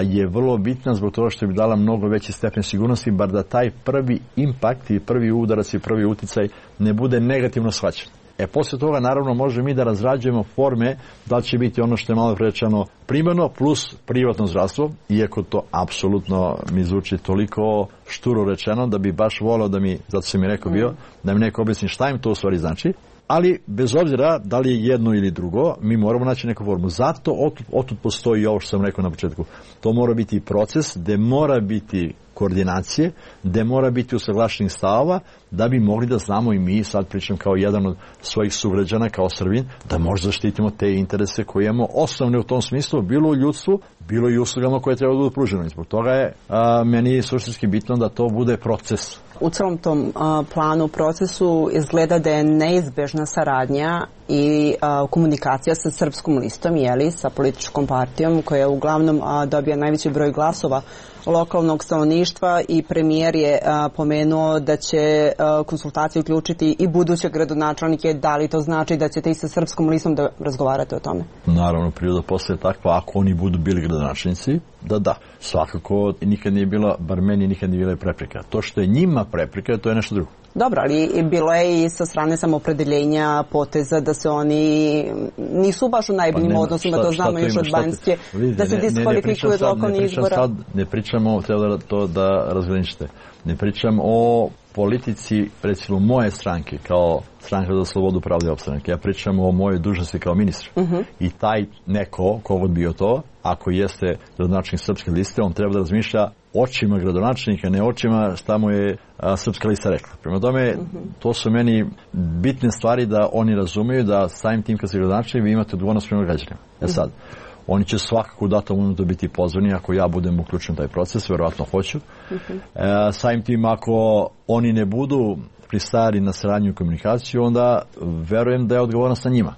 je vrlo bitna zbog toga što bi dala mnogo veći stepen sigurnosti, bar da taj prvi impakt i prvi udarac i prvi uticaj ne bude negativno shvaćen. E, posle toga, naravno, možemo mi da razrađujemo forme da li će biti ono što je malo rečeno primarno plus privatno zdravstvo, iako to apsolutno mi zvuči toliko šturo rečeno da bi baš volao da mi, zato sam mi rekao bio, da mi neko objasni šta im to u stvari znači. Ali, bez obzira da li je jedno ili drugo, mi moramo naći neku formu. Zato otud, otud postoji ovo što sam rekao na početku. To mora biti proces gde mora biti koordinacije, gde mora biti usaglašenih stavova, da bi mogli da znamo i mi, sad pričam kao jedan od svojih sugrađana, kao Srbin, da možda zaštitimo te interese koje imamo osnovne u tom smislu, bilo u ljudstvu, bilo i uslugama koje treba da budu pružene. Zbog toga je a, meni suštinski bitno da to bude proces. U celom tom a, planu, procesu izgleda da je neizbežna saradnja i a, komunikacija sa Srpskom listom, jeli, sa političkom partijom koja uglavnom a, dobija najveći broj glasova lokalnog stanovništva i premijer je a, pomenuo da će a, konsultacije uključiti i buduće gradonačelnike. Da li to znači da ćete i sa Srpskom listom da razgovarate o tome? Naravno, priroda posle je takva, ako oni budu bili gradonačelnici, da da. Svakako nikad nije bila, bar meni nikad nije bila prepreka. To što je njima prepreka, to je nešto drugo. Dobro, ali bilo je i sa strane samopredeljenja poteza da se oni nisu baš u najboljim pa odnosima, šta, to znamo još od Banjske, da se diskvalifikuju od lokalnih izbora. Sad, ne pričamo, treba da to da razgraničite, ne pričam o politici, recimo moje stranke, kao Stranka za slobodu, pravdu i opstanak. Ja pričam o mojoj dužnosti kao ministar. Uh-huh. I taj neko, kogod bio to, ako jeste gradonačelnik Srpske liste, on treba da razmišlja očima gradonačelnika, ne očima šta mu je a, Srpska lista rekla. Prema tome, uh-huh. to su meni bitne stvari da oni razumeju da samim tim kad se gradonačelnik vi imate odgovornost prema građanima. E sad, uh-huh. oni će svakako u datom momentu biti pozvani ako ja budem uključen u taj proces, verovatno hoću. Uh-huh. E, samim tim ako oni ne budu pristali na saradnju i komunikaciju, onda verujem da je odgovornost na njima.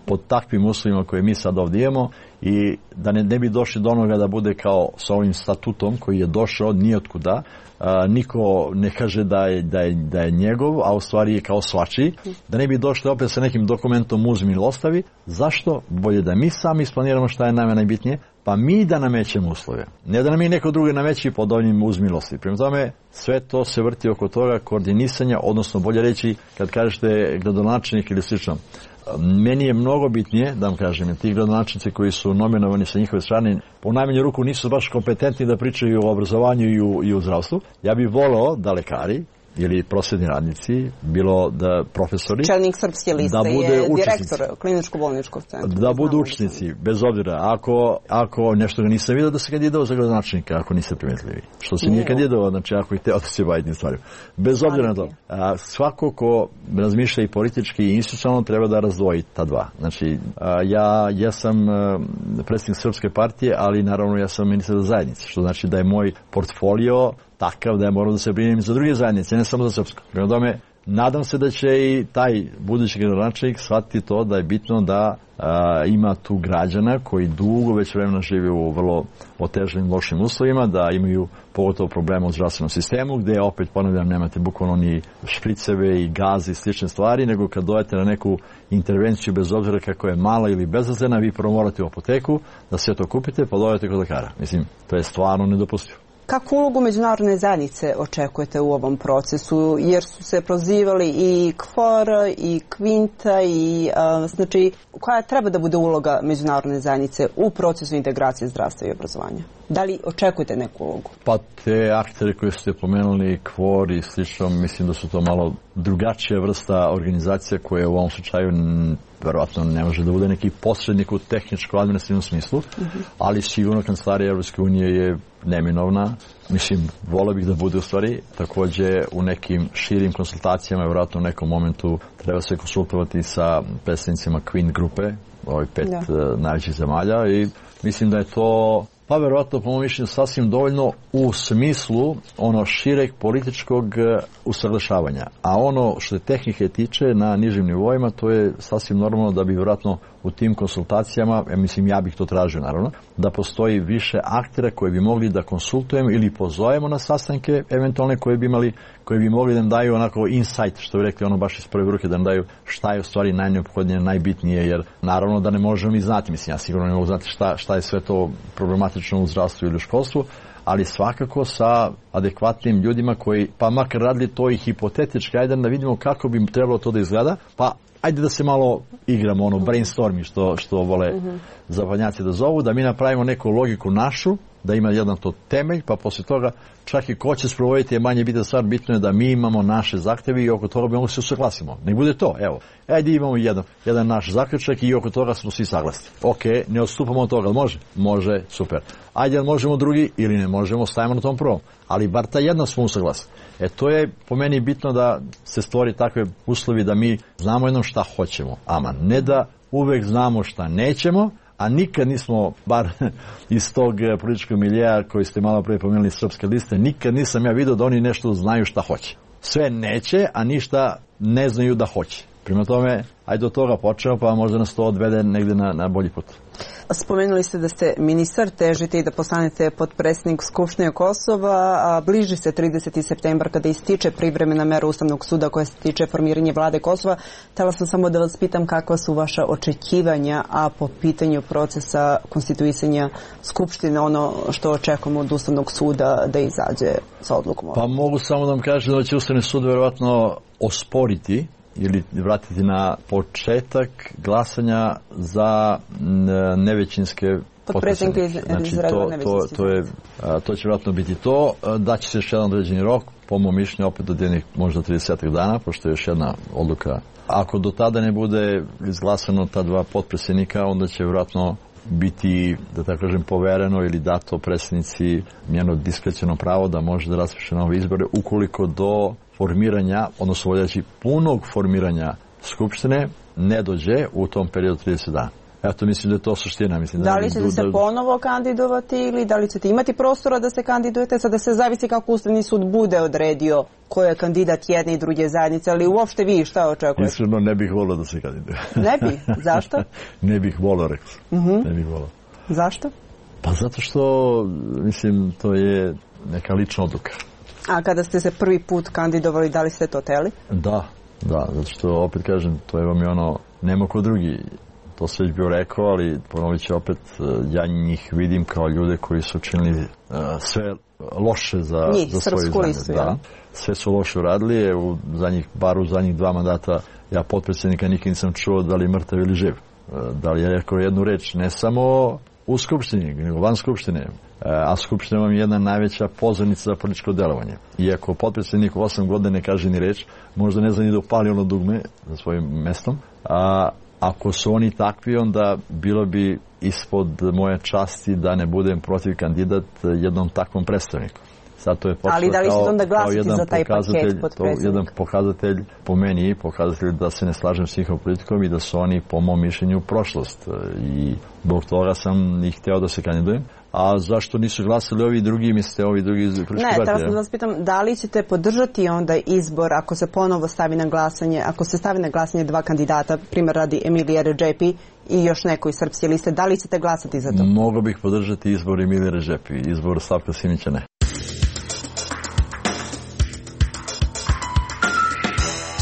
Pod takvim uslovima koje mi sad ovdje imamo i da ne, ne bi došli do onoga da bude kao sa ovim statutom koji je došao nijotkuda, a, niko ne kaže da je, da, je, da je njegov, a u stvari je kao svačiji, da ne bi došli opet sa nekim dokumentom uzmi ili ostavi. Zašto? Bolje da mi sami isplaniramo šta je nama najbitnije, pa mi da namećemo uslove. Ne da nam i neko drugi nameći pod ovim uzmilosti. Prema tome, sve to se vrti oko toga koordinisanja, odnosno bolje reći, kad kažete gradonačelnik ili slično, meni je mnogo bitnije, da vam kažem, ti gradonačelnici koji su nominovani sa njihove strane, po najmanju ruku nisu baš kompetentni da pričaju o obrazovanju i u, i u zdravstvu. Ja bih voleo da lekari ili prosvetni radnici, bilo da profesori, čelnik Srpske liste da bude je učesnici, direktor kliničko-bolničkog centra. Da budu učesnici, bez obzira. Ako, ako nešto ga nisam vidio da se kandidovao za gradonačelnika, ako niste primetili. Što se nije kandidovao, znači ako je hteo da se bavi tim stvarima. Bez obzira na to. A, svako ko razmišlja i politički i institucionalno treba da razdvoji ta dva. Znači, a, ja, ja sam a, predsjednik Srpske partije, ali naravno ja sam ministar zajednice, što znači da je moj portfolio takav da je morao da se brinem za druge zajednice, ne samo za srpsko. Prema tome, nadam se da će i taj budući gradonačelnik shvatiti to da je bitno da a, ima tu građana koji dugo već vremena žive u vrlo otežanim, lošim uslovima, da imaju pogotovo problema u zdravstvenom sistemu, gde opet, ponavljam, nemate bukvalno ni špriceve i gazi i slične stvari, nego kad dojete na neku intervenciju, bez obzira kako je mala ili bezazlena, vi prvo morate u apoteku da sve to kupite, pa dojete kod lekara. Mislim, to je stvarno nedopustivo. Kakvu ulogu međunarodne zajednice očekujete u ovom procesu? Jer su se prozivali i K F O R, i Kvinta, i a, znači, koja treba da bude uloga međunarodne zajednice u procesu integracije zdravstva i obrazovanja? Da li očekujete neku ulogu? Pa te aktere koje ste pomenuli, K F O R i slično, mislim da su to malo drugačija vrsta organizacija koje u ovom slučaju verovatno ne može da bude neki posrednik u tehničko-administrativnom smislu, uh-huh. ali sigurno kancelarija Evropske unije je neminovna. Mislim, voleo bih da bude u stvari. Takođe, u nekim širim konsultacijama, verovatno u nekom momentu treba se konsultovati sa predstavnicima Queen grupe, ovih pet da. najvećih zemalja, i mislim da je to, pa verovatno po mojom mišljenju, sasvim dovoljno u smislu ono šireg političkog usaglašavanja. A ono što je tehnike tiče na nižim nivoima, to je sasvim normalno da bi verovatno u tim konsultacijama, ja mislim, ja bih to tražio naravno, da postoji više aktera koje bi mogli da konsultujemo ili pozovemo na sastanke eventualne koje bi imali, koje bi mogli da nam daju onako insight, što bi rekli ono baš iz prve ruke, da nam daju šta je u stvari najneophodnije, najbitnije, jer naravno da ne možemo ni znati, mislim, ja sigurno ne mogu znati šta, šta je sve to problematično u zdravstvu ili u školstvu, ali svakako sa adekvatnim ljudima koji, pa makar radili to i hipotetički, ajde da vidimo kako bi trebalo to da izgleda, pa ajde da se malo igramo, ono, brainstorming, što, što vole uh-huh. zapadnjaci da zovu, da mi napravimo neku logiku našu, da ima jedan to temelj, pa posle toga čak i ko će sprovoditi je manje bitna stvar, bitno je da mi imamo naše zahteve i oko toga bi mogu se usaglasimo. Ne bude to, evo, ajde imamo jedan, jedan naš zaključak i oko toga smo svi saglasni. Ok, ne odstupamo od toga, može? Može, super. Ajde, možemo drugi ili ne možemo, stavimo na tom prvom. Ali bar ta jedna smo usaglasni. E to je po meni bitno da se stvori takve uslovi da mi znamo jednom šta hoćemo. Aman, ne da uvek znamo šta nećemo, a nikad nismo, bar iz tog političkog miljeja koji ste malo pre pomenuli Srpske liste, nikad nisam ja vidio da oni nešto znaju šta hoće. Sve neće, a ništa ne znaju da hoće. Prema tome, ajde od toga počnemo, pa možda nas to odvede negde na, na bolji put. Spomenuli ste da ste ministar, težite i da postanete potpredsjednik Skupštine Kosova, a bliži se trideseti septembar kada ističe privremena mera Ustavnog suda koja se tiče formiranja vlade Kosova. Htela sam samo da vas pitam kakva su vaša očekivanja, a po pitanju procesa konstituisanja Skupštine, ono što očekujemo od Ustavnog suda da izađe sa odlukom. Pa mogu samo da vam kažem da će Ustavni sud verovatno osporiti ili vratiti na početak glasanja za nevećinske potpredsjednike. Znači, to, to, to, je, to će vjerojatno biti to. Da će se još jedan određeni rok, po mom mišljenju, opet do jednih možda trideset dana, pošto je još jedna odluka. Ako do tada ne bude izglasano ta dva potpredsjednika, onda će vjerojatno biti, da tako kažem, povereno ili dato predsjednici njeno diskreciono pravo da može da raspiše nove izbore ukoliko do formiranja, odnosno voljaći punog formiranja Skupštine ne dođe u tom periodu trideset dana. Eto, mislim da je to suština. Mislim, da li ćete da, se da... ponovo kandidovati ili da li ćete imati prostora da se kandidujete? Sada se zavisi kako Ustavni sud bude odredio ko je kandidat jedne i druge zajednice, ali uopšte vi šta očekujete? Iskreno ne bih volio da se kandiduje. Ne bih? Zašto? Ne bih volio, rekao sam. Uh-huh. Ne bih volio. Zašto? Pa zato što, mislim, to je neka lična odluka. A kada ste se prvi put kandidovali, da li ste to teli? Da, da, zato što, opet kažem, to je vam je ono, nema ko drugi. To se već bio rekao, ali ponovit ću opet, ja njih vidim kao ljude koji su učinili uh, sve loše za, njih, za svoju zemlju. Listu, da. Ja. Sve su loše uradili, u zadnjih, bar u zadnjih dva mandata ja potpredsjednika nikad nisam čuo da li je mrtav ili živ. Uh, da li je rekao jednu reč, ne samo u Skupštini, nego van Skupštine. A Skupština vam je jedna najveća pozornica za političko delovanje. Iako potpredsjednik u osam godina ne kaže ni reč, možda ne zna ni da upali ono dugme za svojim mestom, a ako su oni takvi, onda bilo bi ispod moje časti da ne budem protiv kandidat jednom takvom predstavniku. Zato je počelo ali da li ćete onda glasiti za taj paket potpredsjednika? To jedan pokazatelj, po meni, pokazatelj da se ne slažem s njihovom politikom i da su oni, po mom mišljenju, prošlost. I zbog toga sam ih hteo da se kandidujem. A zašto nisu glasali ovi drugi, mislite, ovi drugi politički partije? Ne, teraz da vas pitam, da li ćete podržati onda izbor ako se ponovo stavi na glasanje, ako se stavi na glasanje dva kandidata, primjer radi Emilija Redžepi i još neko iz Srpske liste, da li ćete glasati za to? Mogu bih podržati izbor Emilija Redžepi, izbor Slavka Simića ne.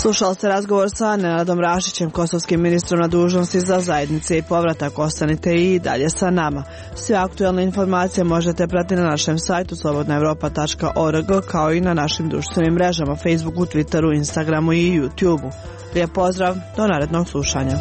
Slušali ste razgovor sa Nenadom Rašićem, kosovskim ministrom na dužnosti za zajednice i povratak. Ostanite i dalje sa nama. Sve aktualne informacije možete pratiti na našem sajtu slobodna evropa tačka org kao i na našim društvenim mrežama Facebooku, Twitteru, Instagramu i YouTubeu. Lijep pozdrav, do narednog slušanja.